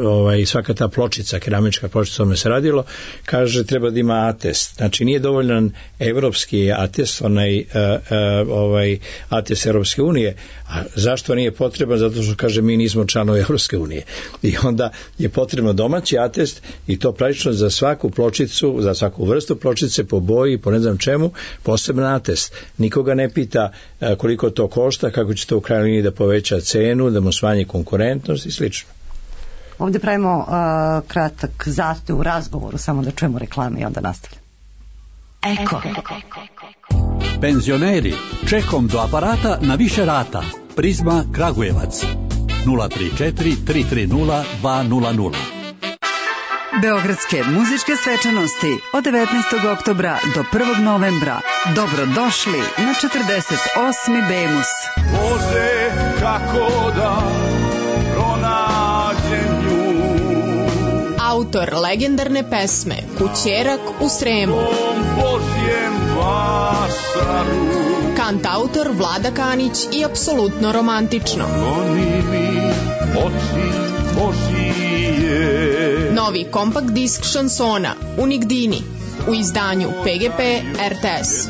ovaj, svaka ta pločica, keramička pločica, ome se radilo, kaže, treba da ima atest. Znači, nije dovoljan evropski atest, onaj ovaj atest Evropske unije. A zašto nije potreban? Zato što, kaže, mi nismo članovi Evropske unije. I onda je potrebno domaći atest i to praktično za svaku pločicu, za svaku vrstu pločice, po boji, po ne znam čemu, poseban atest. Nikoga ne pita koliko to košta, kako će to u krajnjoj liniji da poveća cenu, da mu smanji konkurentnost i slično. Ovde pravimo uh, kratak zastoj u razgovoru, samo da čujemo reklame i onda nastavljamo. Eko. Penzioneri, čekom do aparata na više rata. Prizma Kragujevac. nula tri četiri tri tri nula dva nula nula. Beogradske muzičke svečanosti od devetnaestog oktobra do prvog novembra. Dobrodošli na četrdeset osmi Bemus. Bože, kako da pronađem nju. Autor legendarne pesme Kućerak u Sremu. Božjem vašaru. Kantautor Vlada Kanić i apsolutno romantično. Oni mi oči Božije. Novi kompakt disk šansona Unigdini u izdanju P G P R T S.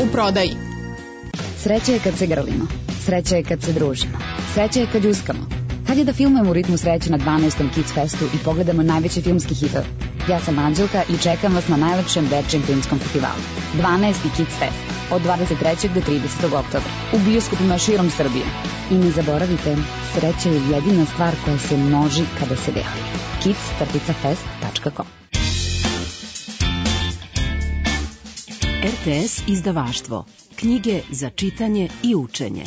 U prodaji. Sreća je kad se grlimo. Sreća je kad se družimo. Sreća je kad uskamo. Hajde da filmujemo u ritmu sreće na dvanaestom Kids Festu i pogledamo najveće filmski hitove. Ja sam Anđelka i čekam vas na najlepšem dečijem filmskom festivalu. dvanaesti Kids Fest od dvadeset trećeg do tridesetog oktobra u bioskopima širom Srbije. I ne zaboravite, sreća je jedina stvar koja se množi kada se deli. kids fest tačka com. R T S izdavaštvo. Knjige za čitanje i učenje.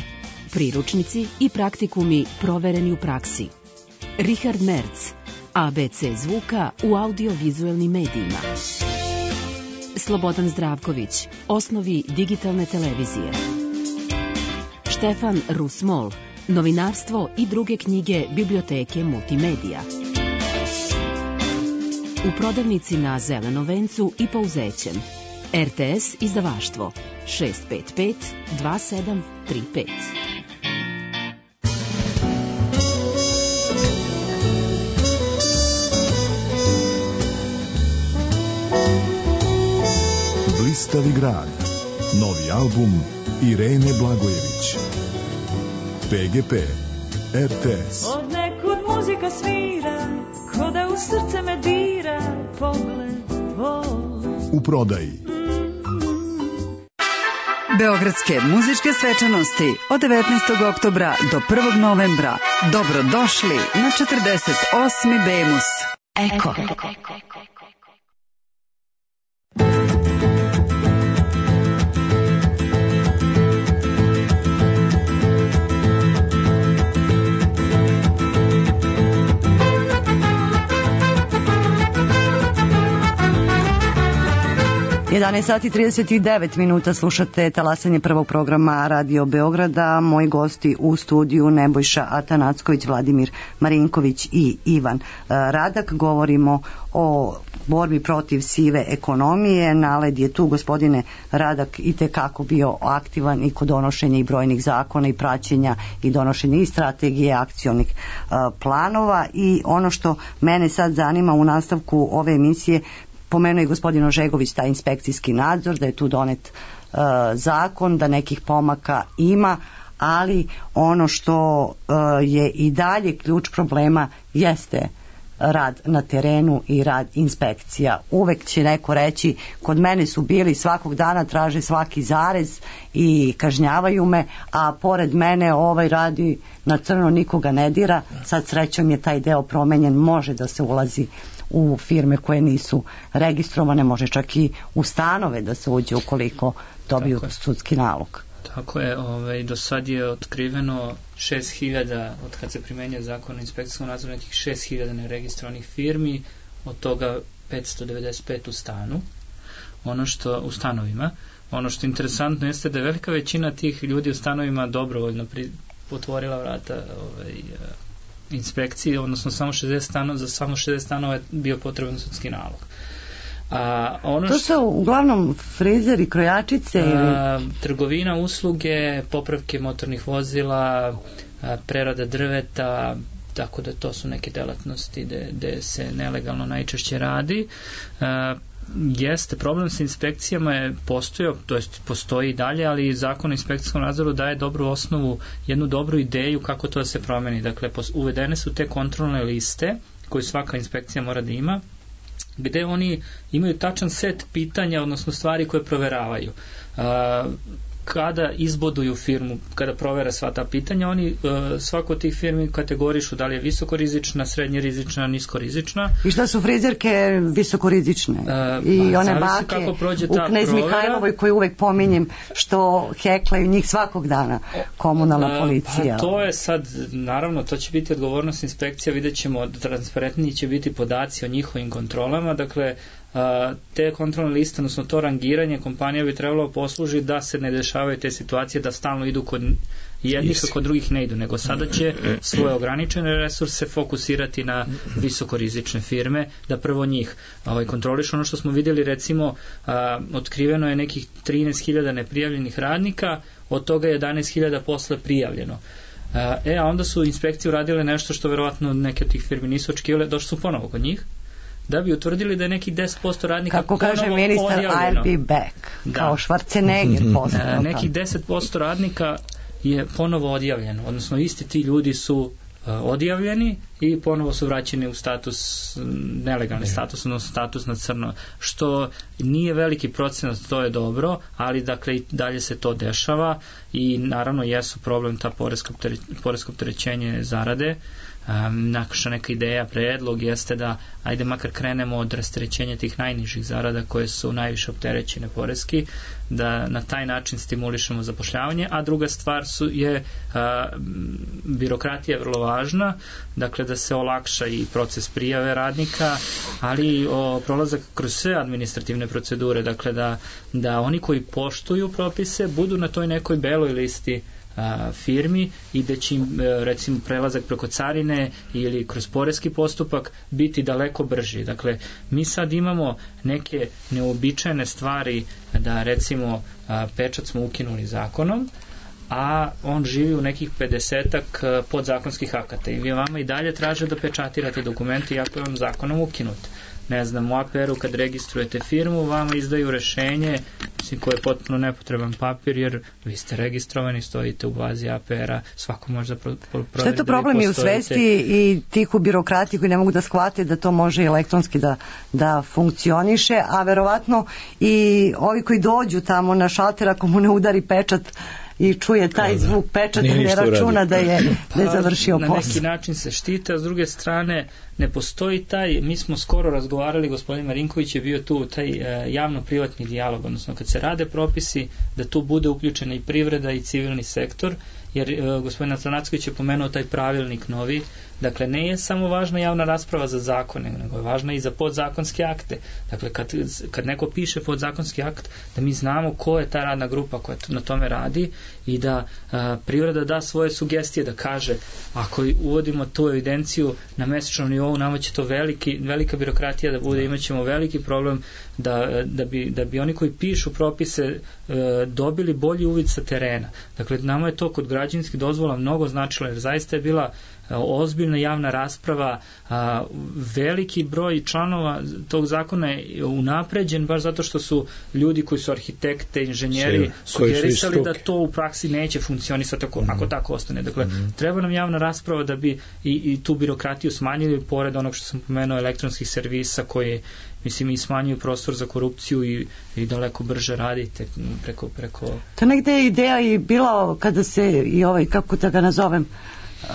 Priručnici i praktikumi provereni u praksi. Richard Merz, A B C zvuka u audiovizuelnim medijima. Slobodan Zdravković, osnovi digitalne televizije. Štefan Rusmol, novinarstvo i druge knjige biblioteke Multimedija. U prodavnici na Zelenom vencu i Pouzećem. R T S izdavaštvo šest pet pet dva sedam tri pet. Blistavi grad. Novi album Irene Blagojević. P G P, R T S. Od nekud muzika svira, ko da u srce me dira, pogled tvoj. U prodaji. Beogradske muzičke svečanosti od devetnaestog oktobra do prvog novembra. Dobrodošli na četrdeset osmi Bemus. Eko. jedanaest sati i trideset devet minuta, slušate talasanje prvog programa Radio Beograda. Moji gosti u studiju Nebojša Atanacković, Vladimir Marinković i Ivan Radak. Govorimo o borbi protiv sive ekonomije. Naled je tu, gospodine Radak, i tekako bio aktivan i kod donošenja i brojnih zakona i praćenja i donošenja i strategije akcionih planova. I ono što mene sad zanima u nastavku ove emisije, pomenuo je gospodin Ožegović taj inspekcijski nadzor, da je tu donet uh, zakon, da nekih pomaka ima, ali ono što uh, je i dalje ključ problema jeste rad na terenu i rad inspekcija. Uvek će neko reći, kod mene su bili, svakog dana traže svaki zarez i kažnjavaju me, a pored mene ovaj radi na crno, nikoga ne dira. Sad srećom je taj deo promenjen, može da se ulazi u firme koje nisu registrovane, može čak i u stanove da se uđe ukoliko dobiju sudski nalog. Tako je, ovaj, do sad je otkriveno šest hiljada, od kad se primenja zakon o inspekcijskom nadzoru, nekih šest hiljada neregistrovanih firmi, od toga petsto devedeset pet u stanu, ono što u stanovima. Ono što je interesantno jeste da je velika većina tih ljudi u stanovima dobrovoljno pri, otvorila vrata ovaj, inspekcije, odnosno samo šezdeset stanova, za samo šezdeset stanova je bio potreban sudski nalog. A ono to su što, uglavnom frizeri, krojačice ili... A, trgovina, usluge, popravke motornih vozila, a, prerada drveta, tako da to su neke delatnosti gde, gde se nelegalno najčešće radi. A, jeste, problem sa inspekcijama je postojao, to jest postoji i dalje, ali zakon o inspekcijskom nadzoru daje dobru osnovu, jednu dobru ideju kako to da se promeni. Dakle, uvedene su te kontrolne liste koje svaka inspekcija mora da ima, gde oni imaju tačan set pitanja, odnosno stvari koje proveravaju. Uh, kada izboduju firmu, kada provere sva ta pitanja, oni uh, svako od tih firmi kategorišu da li je visokorizična, srednjerizična, niskorizična. I šta su frizerke visokorizične? Uh, I one bake u Knez Mihajlovoj koju uvek pominjem, što heklaju njih svakog dana komunalna policija. Uh, pa to je sad, naravno, to će biti odgovornost inspekcija, vidjet ćemo, transparentniji će biti podaci o njihovim kontrolama, dakle, te kontrolne liste, odnosno to rangiranje kompanija bi trebalo poslužiti da se ne dešavaju te situacije da stalno idu kod jednih, a kod drugih ne idu, nego sada će svoje ograničene resurse fokusirati na visokorizične firme, da prvo njih ovaj, kontroliš. Ono što smo vidjeli, recimo, a, otkriveno je nekih trinaest hiljada neprijavljenih radnika, od toga je jedanaest hiljada posle prijavljeno. A, e, a onda su inspekcije uradile nešto što verovatno neke od tih firmi nisu očekivale, došli su ponovo kod njih, da bi utvrdili da je nekih deset posto radnika kako kaže ministar, I'll be back, da. Kao Schwarzenegger posle. E, nekih deset posto radnika je ponovo odjavljeno, odnosno isti ti ljudi su uh, odjavljeni i ponovo su vraćeni u status, nelegalni ne. status, odnosno status na crno, što nije veliki procenat, to je dobro, ali dakle i dalje se to dešava i naravno jesu problem ta poresko opterećenje zarade. Um, naša neka ideja, predlog jeste da ajde makar krenemo od rasterećenja tih najnižih zarada koje su najviše opterećene poreski, da na taj način stimulišemo zapošljavanje, a druga stvar su je a, birokratija je vrlo važna, dakle da se olakša i proces prijave radnika, ali i o, prolazak kroz sve administrativne procedure, dakle da, da oni koji poštuju propise budu na toj nekoj beloj listi firmi i da će im recimo prelazak preko carine ili kroz poreski postupak biti daleko brži. Dakle, mi sad imamo neke neobičajne stvari da recimo pečat smo ukinuli zakonom, a on živi u nekih pedesetak podzakonskih akata i vi vama i dalje traže da pečatirate dokumenti iako je on zakonom ukinut. ne znam, u A P R-u kad registrujete firmu, vama izdaju rešenje, mislim, koje je potpuno nepotreban papir, jer vi ste registrovani, stojite u bazi A P R-a, svako može da pro, pro, proveri. Što je to problem i u svesti i tih u birokrati koji ne mogu da shvate da to može elektronski da, da funkcioniše, a verovatno i ovi koji dođu tamo na šalter, ako mu ne udari pečat i čuje taj zvuk pečata, ne računa da je, da je završio posao. Na neki način se štite, a s druge strane ne postoji taj, mi smo skoro razgovarali, gospodin Marinković je bio tu, taj e, javno-privatni dijalog, odnosno kad se rade propisi, da tu bude uključena i privreda i civilni sektor, jer e, gospodin Atranacković je pomenuo taj pravilnik novi. Dakle, ne je samo važna javna rasprava za zakone, nego je važna i za podzakonske akte. Dakle, kad, kad neko piše podzakonski akt, da mi znamo ko je ta radna grupa koja na tome radi i da a, privreda da svoje sugestije, da kaže, ako uvodimo tu evidenciju na mesečnom nivou, nama će to veliki, velika birokratija da bude, imat ćemo veliki problem da, da, bi, da bi oni koji pišu propise e, dobili bolji uvid sa terena. Dakle, nama je to kod građevinskih dozvola mnogo značilo, jer zaista je bila ozbiljna javna rasprava, a, veliki broj članova tog zakona je unapređen baš zato što su ljudi koji su arhitekte, inženjeri sugerisali da to u praksi neće funkcionisati ako, mm. ako tako ostane. Dakle, mm. treba nam javna rasprava da bi i, i tu birokratiju smanjili, pored onog što sam pomenuo elektronskih servisa koji, mislim, i smanjuju prostor za korupciju i, i daleko brže radite preko, preko... To negde je ideja i bila kada se i ovaj, kako da ga nazovem, Uh,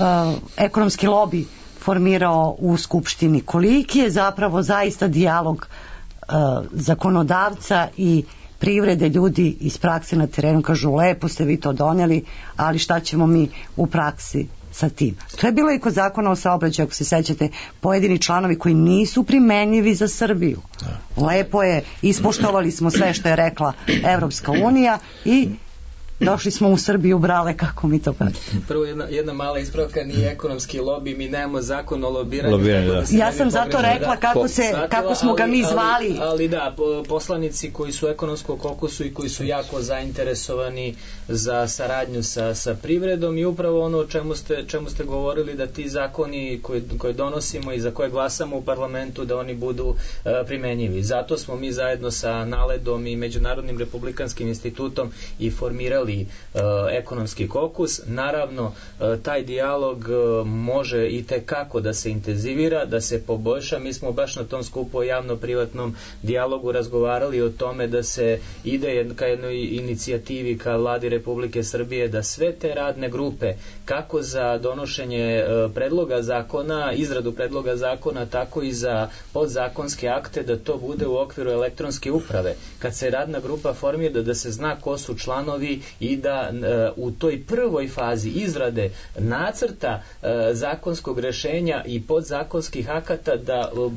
ekonomski lobi formirao u Skupštini. Koliki je zapravo zaista dijalog uh, zakonodavca i privrede, ljudi iz prakse na terenu kažu lepo ste vi to doneli, ali šta ćemo mi u praksi sa tim. To je bilo i kod zakona o saobraćaju, ako se sećate, pojedini članovi koji nisu primenjivi za Srbiju. Lepo je, ispoštovali smo sve što je rekla Evropska unija i došli smo u Srbiju, brale, kako mi to pravi. Prvo jedna, jedna mala ispravka, nije ekonomski lobi, mi nemamo zakon o lobiranju. Lobiranje, da. Da ja sam zato rekla kako, se, shvatila, kako smo ga mi zvali. Ali, ali da, poslanici koji su ekonomskog kokusu i koji su jako zainteresovani za saradnju sa, sa privredom i upravo ono o čemu ste, čemu ste govorili, da ti zakoni koje, koje donosimo i za koje glasamo u parlamentu, da oni budu uh, primenjivi. Zato smo mi zajedno sa Naledom i Međunarodnim republikanskim institutom i formirali Uh, ekonomski kokus. Naravno, uh, taj dijalog uh, može i tekako da se intenzivira, da se poboljša. Mi smo baš na tom skupu o javno-privatnom dijalogu razgovarali o tome da se ide ka jednoj inicijativi ka vladi Republike Srbije, da sve te radne grupe, kako za donošenje uh, predloga zakona, izradu predloga zakona, tako i za podzakonske akte, da to bude u okviru elektronske uprave. Kad se radna grupa formira, da, da se zna ko su članovi i da uh, u toj prvoj fazi izrade nacrta uh, zakonskog rešenja i podzakonskih akata da uh,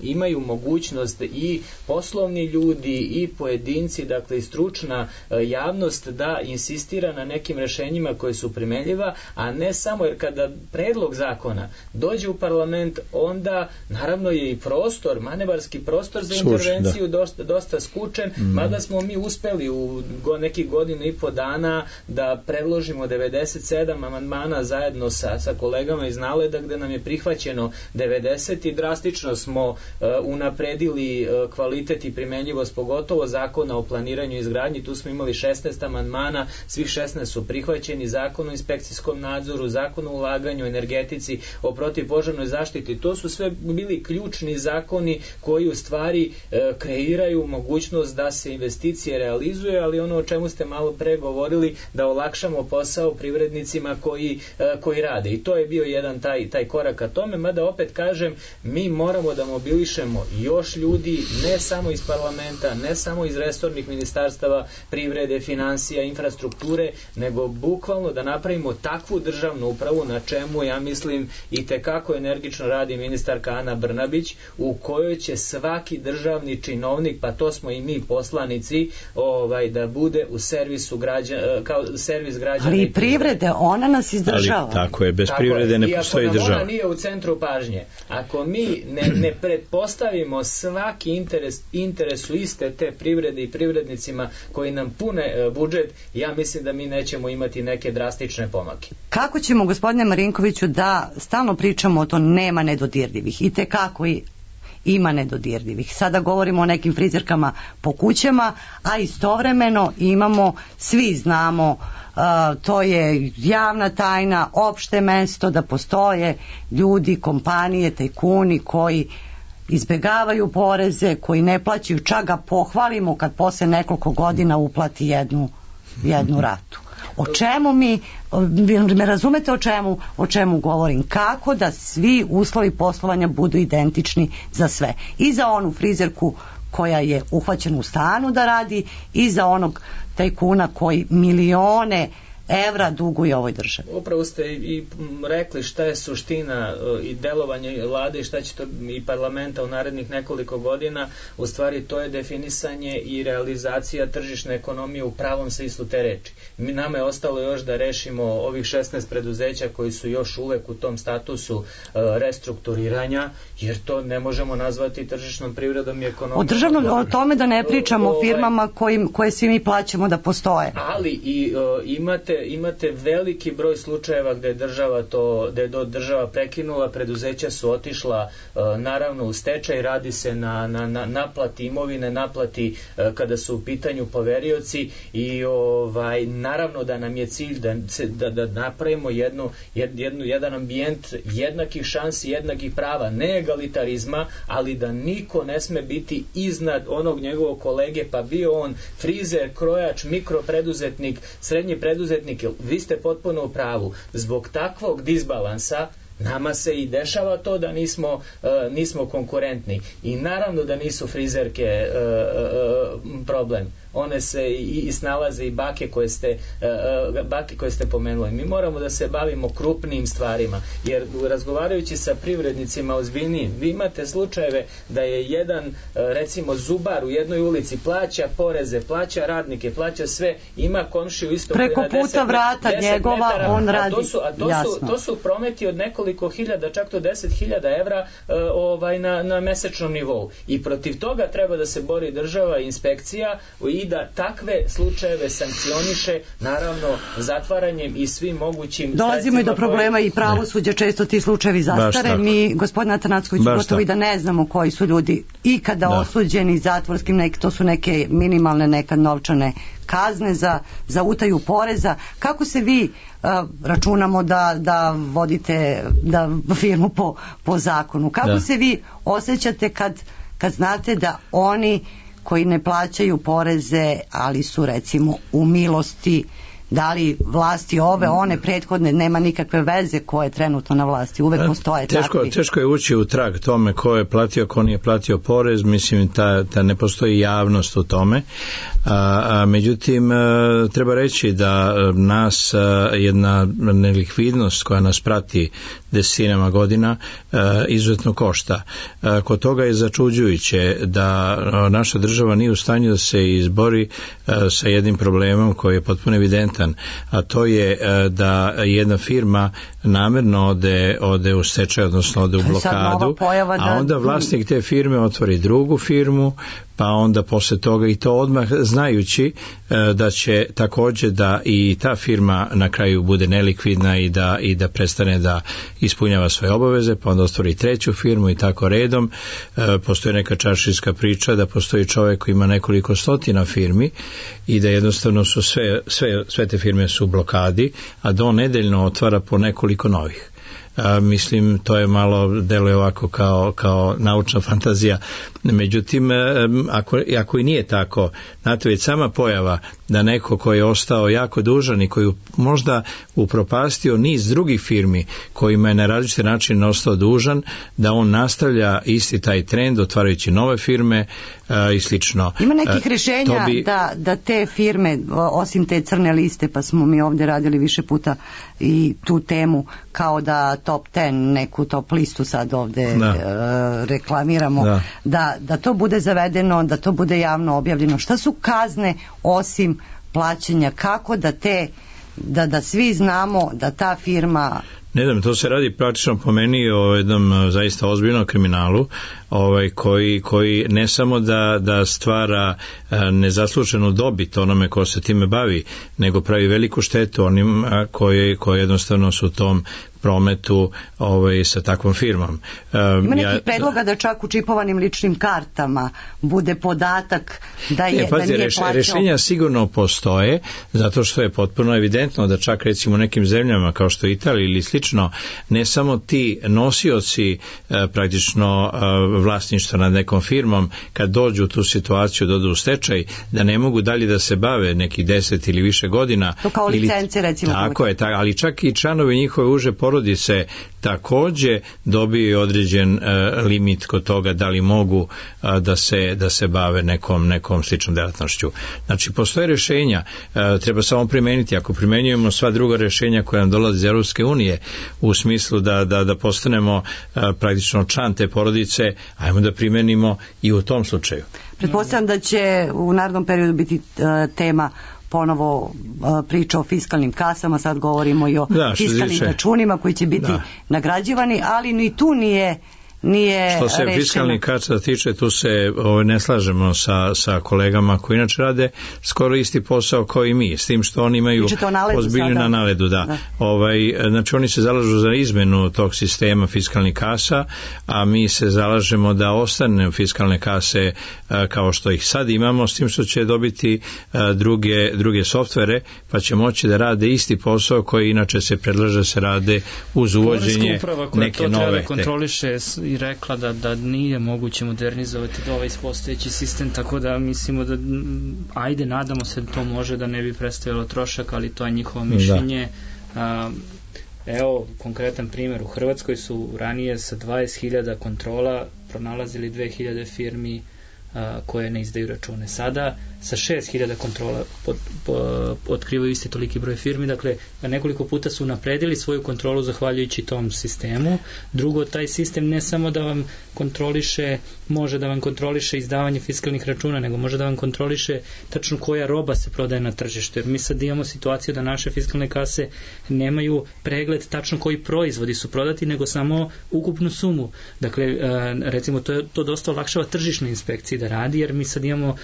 imaju mogućnost i poslovni ljudi i pojedinci, dakle i stručna uh, javnost da insistira na nekim rešenjima koje su primenljiva, a ne samo, jer kada predlog zakona dođe u parlament, onda naravno je i prostor, manevarski prostor za intervenciju Suč, dosta, dosta skučen, mm. mada smo mi uspeli u go, nekih godinu i po dana da predložimo devedeset sedam amandmana zajedno sa, sa kolegama iz Naleda, gde nam je prihvaćeno devedeset i drastično smo uh, unapredili uh, kvalitet i primenljivost, pogotovo zakona o planiranju i izgradnji. Tu smo imali šesnaest amandmana, svih šesnaest su prihvaćeni, zakon o inspekcijskom nadzoru, zakon o ulaganju, energetici, o protivpožarnoj zaštiti. To su sve bili ključni zakoni koji u stvari uh, kreiraju mogućnost da se investicije realizuje, ali ono o čemu ste malo pre govorili, da olakšamo posao privrednicima koji, koji rade. I to je bio jedan taj, taj korak ka tome, mada opet kažem, mi moramo da mobilišemo još ljudi, ne samo iz parlamenta, ne samo iz resornih ministarstava privrede, financija, infrastrukture, nego bukvalno da napravimo takvu državnu upravu, na čemu, ja mislim, i tekako energično radi ministarka Ana Brnabić, u kojoj će svaki državni činovnik, pa to smo i mi poslanici, ovaj, da bude u servisu građana, kao servis građana. Ali i privrede, ona nas izdržava. Ali tako je, bez tako privrede ne postoji država. I ako nam ona nije u centru pažnje, ako mi ne, ne pretpostavimo svaki interes, interesu iste te privrede i privrednicima koji nam pune budžet, ja mislim da mi nećemo imati neke drastične pomake. Kako ćemo, gospodine Marinkoviću, da stalno pričamo o to nema nedodirljivih i tekako i ima nedodirljivih. Sada govorimo o nekim frizerkama po kućama, a istovremeno imamo, svi znamo, uh, to je javna tajna, opšte mesto da postoje ljudi, kompanije, tajkuni koji izbegavaju poreze, koji ne plaćaju, čak ga pohvalimo kad posle nekoliko godina uplati jednu, jednu ratu. O čemu mi, me razumete o čemu, o čemu govorim? Kako da svi uslovi poslovanja budu identični za sve. I za onu frizerku koja je uhvaćena u stanu da radi i za onog tajkuna koji milione evra duguje ovoj državi. Upravo ste i rekli šta je suština i delovanje vlade i šta će to i parlamenta u narednih nekoliko godina. U stvari to je definisanje i realizacija tržišne ekonomije u pravom smislu te reči. Mi, nama je ostalo još da rešimo ovih šesnaest preduzeća koji su još uvek u tom statusu uh, restrukturiranja, jer to ne možemo nazvati tržišnom privredom i ekonomijom. O državnom, o tome da ne pričamo o, o firmama kojim, koje svi mi plaćamo da postoje. Ali i uh, imate imate veliki broj slučajeva gde je država to, gde je država prekinula, preduzeća su otišla uh, naravno u stečaj, radi se na, na, na naplati imovine, naplati uh, kada su u pitanju poverioci i ovaj, naravno da nam je cilj da, da, da napravimo jednu, jednu, jedan ambijent jednakih šansi, jednakih prava, ne egalitarizma, ali da niko ne sme biti iznad onog njegovog kolege, pa bio on frizer, krojač, mikropreduzetnik, srednji preduzetnik. Vi ste potpuno u pravu. Zbog takvog disbalansa nama se i dešava to da nismo, uh, nismo konkurentni. I naravno da nisu frizerke uh, uh, problem. One se i, i snalaze i bake koje ste uh, bake koje ste pomenuli. Mi moramo da se bavimo krupnim stvarima, jer razgovarajući sa privrednicima ozbiljnijim, vi imate slučajeve da je jedan uh, recimo zubar u jednoj ulici plaća poreze, plaća radnike, plaća sve, ima komšiju isto preko puta deset, vrata deset njegova metara, on radi. A to su, a to su, to su prometi od nekoliko hiljada, čak do deset hiljada evra uh, ovaj, na, na mesečnom nivou. I protiv toga treba da se bori država i inspekcija i da takve slučajeve sankcioniše, naravno zatvaranjem i svim mogućim dolazimo i do problema koji... i pravosuđa, često ti slučajevi zastare. Mi, gospodin Atanacković, gotovo i da ne znamo koji su ljudi i kada da. osuđeni zatvorskim, nek, to su neke minimalne nekad novčane kazne za, za utaju poreza. Kako se vi uh, računamo da, da vodite da firmu po, po zakonu? Kako da. se vi osjećate kad, kad znate da oni koji ne plaćaju poreze, ali su recimo u milosti, da li vlasti ove, one prethodne, nema nikakve veze ko je trenutno na vlasti, uvek postoje teško, takvi. Teško je ući u trag tome ko je platio, ko nije platio porez, mislim ta, ta ne postoji javnost u tome, a, a, međutim a, treba reći da nas a, jedna nelikvidnost koja nas prati desetinama godina a, izuzetno košta. A, kod toga je začuđujuće da a, naša država nije u stanju da se izbori a, sa jednim problemom koji je potpuno evidentan, a to je da jedna firma namerno ode, ode u stečaj, odnosno ode u blokadu, a onda vlasnik te firme otvori drugu firmu, pa onda posle toga i to odmah znajući da će takođe da i ta firma na kraju bude nelikvidna i da, i da prestane da ispunjava svoje obaveze, pa onda otvori treću firmu i tako redom. Postoji neka čaršijska priča da postoji čovjek koji ima nekoliko stotina firmi i da jednostavno su sve, sve, sve te firme su u blokadi, a do nedeljno otvara po nekoliko novih. A, mislim, to je malo deluje ovako kao, kao naučna fantazija. Međutim, ako, ako i nije tako, znate, već sama pojava da neko koji je ostao jako dužan i koji možda upropastio niz drugih firmi kojima je na različite načine ostao dužan, da on nastavlja isti taj trend otvarajući nove firme a, i slično. Ima nekih rješenja bi... da, da te firme, osim te crne liste, pa smo mi ovdje radili više puta i tu temu, kao da top deset, neku top listu sad ovdje da. e, reklamiramo, da. Da, da to bude zavedeno, da to bude javno objavljeno. Šta su kazne osim plaćanja? Kako da te, da, da svi znamo da ta firma... Ne znam, to se radi praktično po meni o jednom zaista ozbiljnom kriminalu, ovaj, koji, koji ne samo da, da stvara nezasluženu dobit onome ko se time bavi, nego pravi veliku štetu onim koji, koji jednostavno su u tom prometu ovaj, sa takvom firmom. Um, Ima nekih ja, predloga da čak u čipovanim ličnim kartama bude podatak da, je, ne, pazi, da nije reš, plaćao. Rešenja sigurno postoje, zato što je potpuno evidentno da čak recimo u nekim zemljama kao što je Italija ili slično, ne samo ti nosioci e, praktično e, vlasništva nad nekom firmom, kad dođu u tu situaciju, dođu u stečaj, da ne mogu dalje da se bave nekih deset ili više godina. To kao licence ili, recimo. Tako je, tak, ali čak i članovi njihove uže porodice takođe dobiju određen uh, limit kod toga da li mogu uh, da se da se bave nekom nekom sličnom delatnošću. Znači postoje rešenja, uh, treba samo primeniti. Ako primenjujemo sva druga rešenja koja nam dolaze iz Evropske unije u smislu da da da postanemo uh, praktično član te porodice, ajmo da primenimo i u tom slučaju. Pretpostavljam da će u narednom periodu biti uh, tema ponovo uh, priča o fiskalnim kasama, sad govorimo i o da, fiskalnim računima koji će biti da. nagrađivani, ali ni tu nije nije što se fiskalnih kasa tiče, tu se ovaj, ne slažemo sa, sa kolegama koji inače rade skoro isti posao kao i mi, s tim što oni imaju ozbiljnu na naledu, da. da. Ovaj, znači oni se zalažu za izmenu tog sistema fiskalnih kasa, a mi se zalažemo da ostane fiskalne kase a, kao što ih sad imamo, s tim što će dobiti a, druge, druge softvere, pa će moći da rade isti posao koji inače se predlaže se rade uz uvođenje neke nove kontroliše i rekla da, da nije moguće modernizovati ovaj postojeći sistem, tako da mislimo da ajde, nadamo se da to može, da ne bi predstavilo trošak, ali to je njihovo mišljenje. A, evo, konkretan primjer, u Hrvatskoj su ranije sa dvadeset hiljada kontrola pronalazili dve hiljade firmi a, koje ne izdaju račune. Sada sa šest hiljada kontrola pod, po, otkrivaju isti toliki broj firmi, dakle nekoliko puta su napredili svoju kontrolu zahvaljujući tom sistemu. Drugo, taj sistem ne samo da vam kontroliše, može da vam kontroliše izdavanje fiskalnih računa, nego može da vam kontroliše tačno koja roba se prodaje na tržištu, jer mi sad imamo situaciju da naše fiskalne kase nemaju pregled tačno koji proizvodi su prodati, nego samo ukupnu sumu. Dakle, recimo to, to dosta olakšava tržišnoj inspekciji da radi, jer mi sad imamo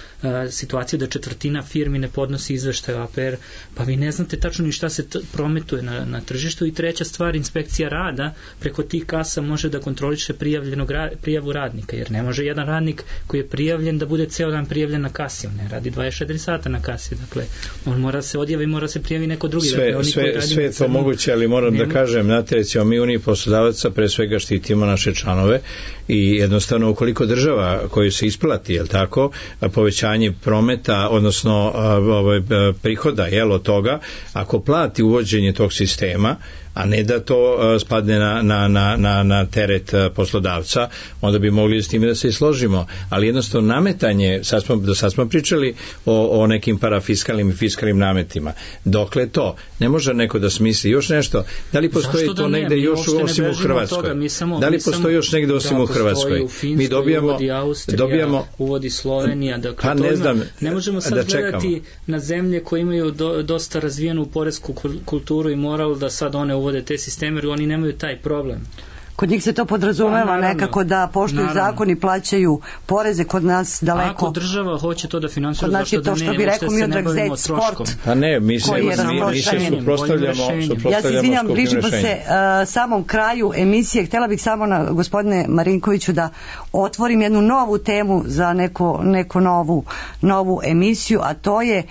situaciju da četvrtina firmi ne podnosi izveštaj o A P R, pa vi ne znate tačno ni šta se t- prometuje na, na tržištu. I treća stvar, inspekcija rada preko tih kasa može da kontroliše prijavljenog ra- prijavu radnika, jer ne može jedan radnik koji je prijavljen da bude ceo dan prijavljen na kasi, on ne radi dvadeset četiri sata na kasi, dakle on mora se odjavi, mora se prijavi neko drugi. Sve, dakle, sve, sve je to samo moguće, ali moram nema... da kažem, znate, recimo mi Uniji poslodavaca pre svega štitimo naše članove i jednostavno ukoliko država koju se isplati, jel tako, povećanje prometa, odnosno ovaj, prihoda, jel, od toga, ako plati uvođenje tog sistema, a ne da to uh, spadne na, na, na, na, na teret uh, poslodavca, onda bi mogli s time da se i složimo. Ali jednostavno nametanje, sad smo, do sad smo pričali o, o nekim parafiskalnim i fiskalnim nametima. Dokle to? Ne može neko da smisli još nešto. Da li postoji to da negde još osim u Hrvatskoj? Samo, da li postoji još negde osim u Hrvatskoj? U Finskoj, mi dobijamo, uvodi Austrija, dobijamo, uvodi Slovenija. Dakle, pa ne znam, ne možemo sad da gledati na zemlje koje imaju do, dosta razvijenu poresku kulturu i moral da sad one uvode te sisteme, jer oni nemaju taj problem. Kod njih se to podrazumeva pa, nekako da poštuju zakon i plaćaju poreze, kod nas daleko. Ako država hoće to da finansira, znači zašto da ne, što bi rekao mi odrag zet sport. Pa ne, mi se, mi, mi se suprostavljamo, suprostavljamo ja se izvinjam, bližimo se uh, samom kraju emisije. Htjela bih samo na gospodine Marinkoviću da otvorim jednu novu temu za neko, neko novu, novu emisiju, a to je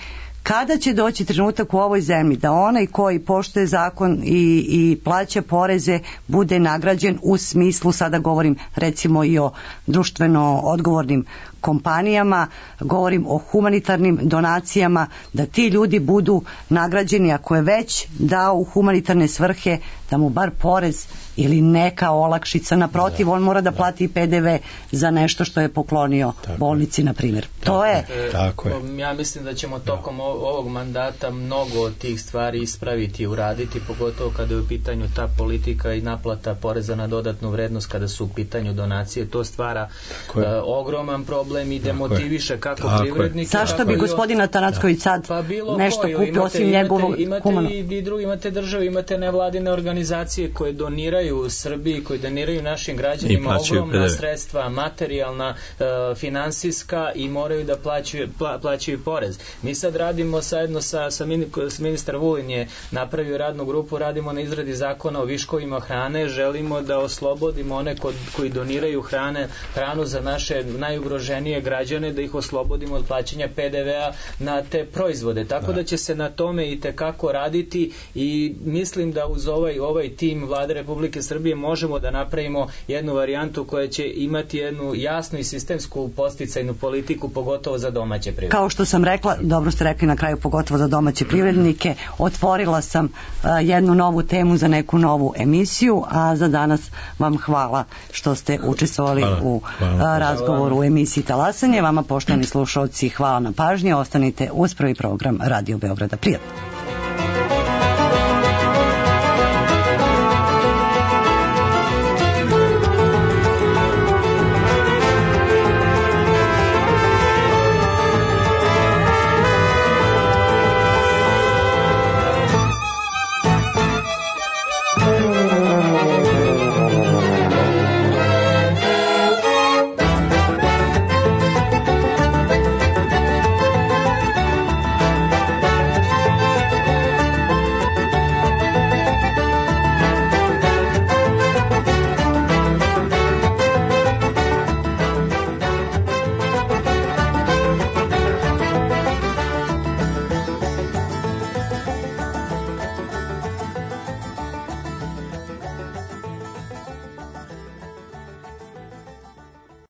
kada će doći trenutak u ovoj zemlji da onaj koji poštuje zakon i, i plaća poreze bude nagrađen u smislu, sada govorim recimo i o društveno odgovornim kompanijama, govorim o humanitarnim donacijama, da ti ljudi budu nagrađeni, ako je već dao u humanitarne svrhe, da mu bar porez ili neka olakšica, naprotiv, on mora da plati i P D V za nešto što je poklonio tako bolnici, na primjer. To je... Tako je. Ja mislim da ćemo tokom ovog mandata mnogo od tih stvari ispraviti i uraditi, pogotovo kada je u pitanju ta politika i naplata poreza na dodatnu vrednost, kada su u pitanju donacije. To stvara uh, ogroman problem problem i demotiviše kako privrednike. Zašto bi gospodin Atanacković sad pa nešto koju, kupio imate, osim njegovog humano? Imate i, i drugi, imate države, imate nevladine organizacije koje doniraju Srbiji, koje doniraju našim građanima ogromna sredstva, materijalna, e, finansijska i moraju da plaćaju, pla, plaćaju porez. Mi sad radimo zajedno sa, sa ministar Vulin je napravio radnu grupu, radimo na izradi zakona o viškovima hrane, želimo da oslobodimo one kod, koji doniraju hrane, hranu za naše najugroženije građane, da ih oslobodimo od plaćanja P D V-a na te proizvode. Tako da će se na tome i tekako raditi i mislim da uz ovaj, ovaj tim Vlade Republike Srbije možemo da napravimo jednu varijantu koja će imati jednu jasnu i sistemsku podsticajnu politiku, pogotovo za domaće privrednike. Kao što sam rekla, dobro ste rekli na kraju, pogotovo za domaće privrednike, otvorila sam uh, jednu novu temu za neku novu emisiju, a za danas vam hvala što ste učestvovali hvala, u hvala, uh, razgovoru hvala. u emisiji Talasanje. Vama, poštovani slušalci, hvala na pažnji. Ostanite uz prvi program Radio Beograda. Prijatno.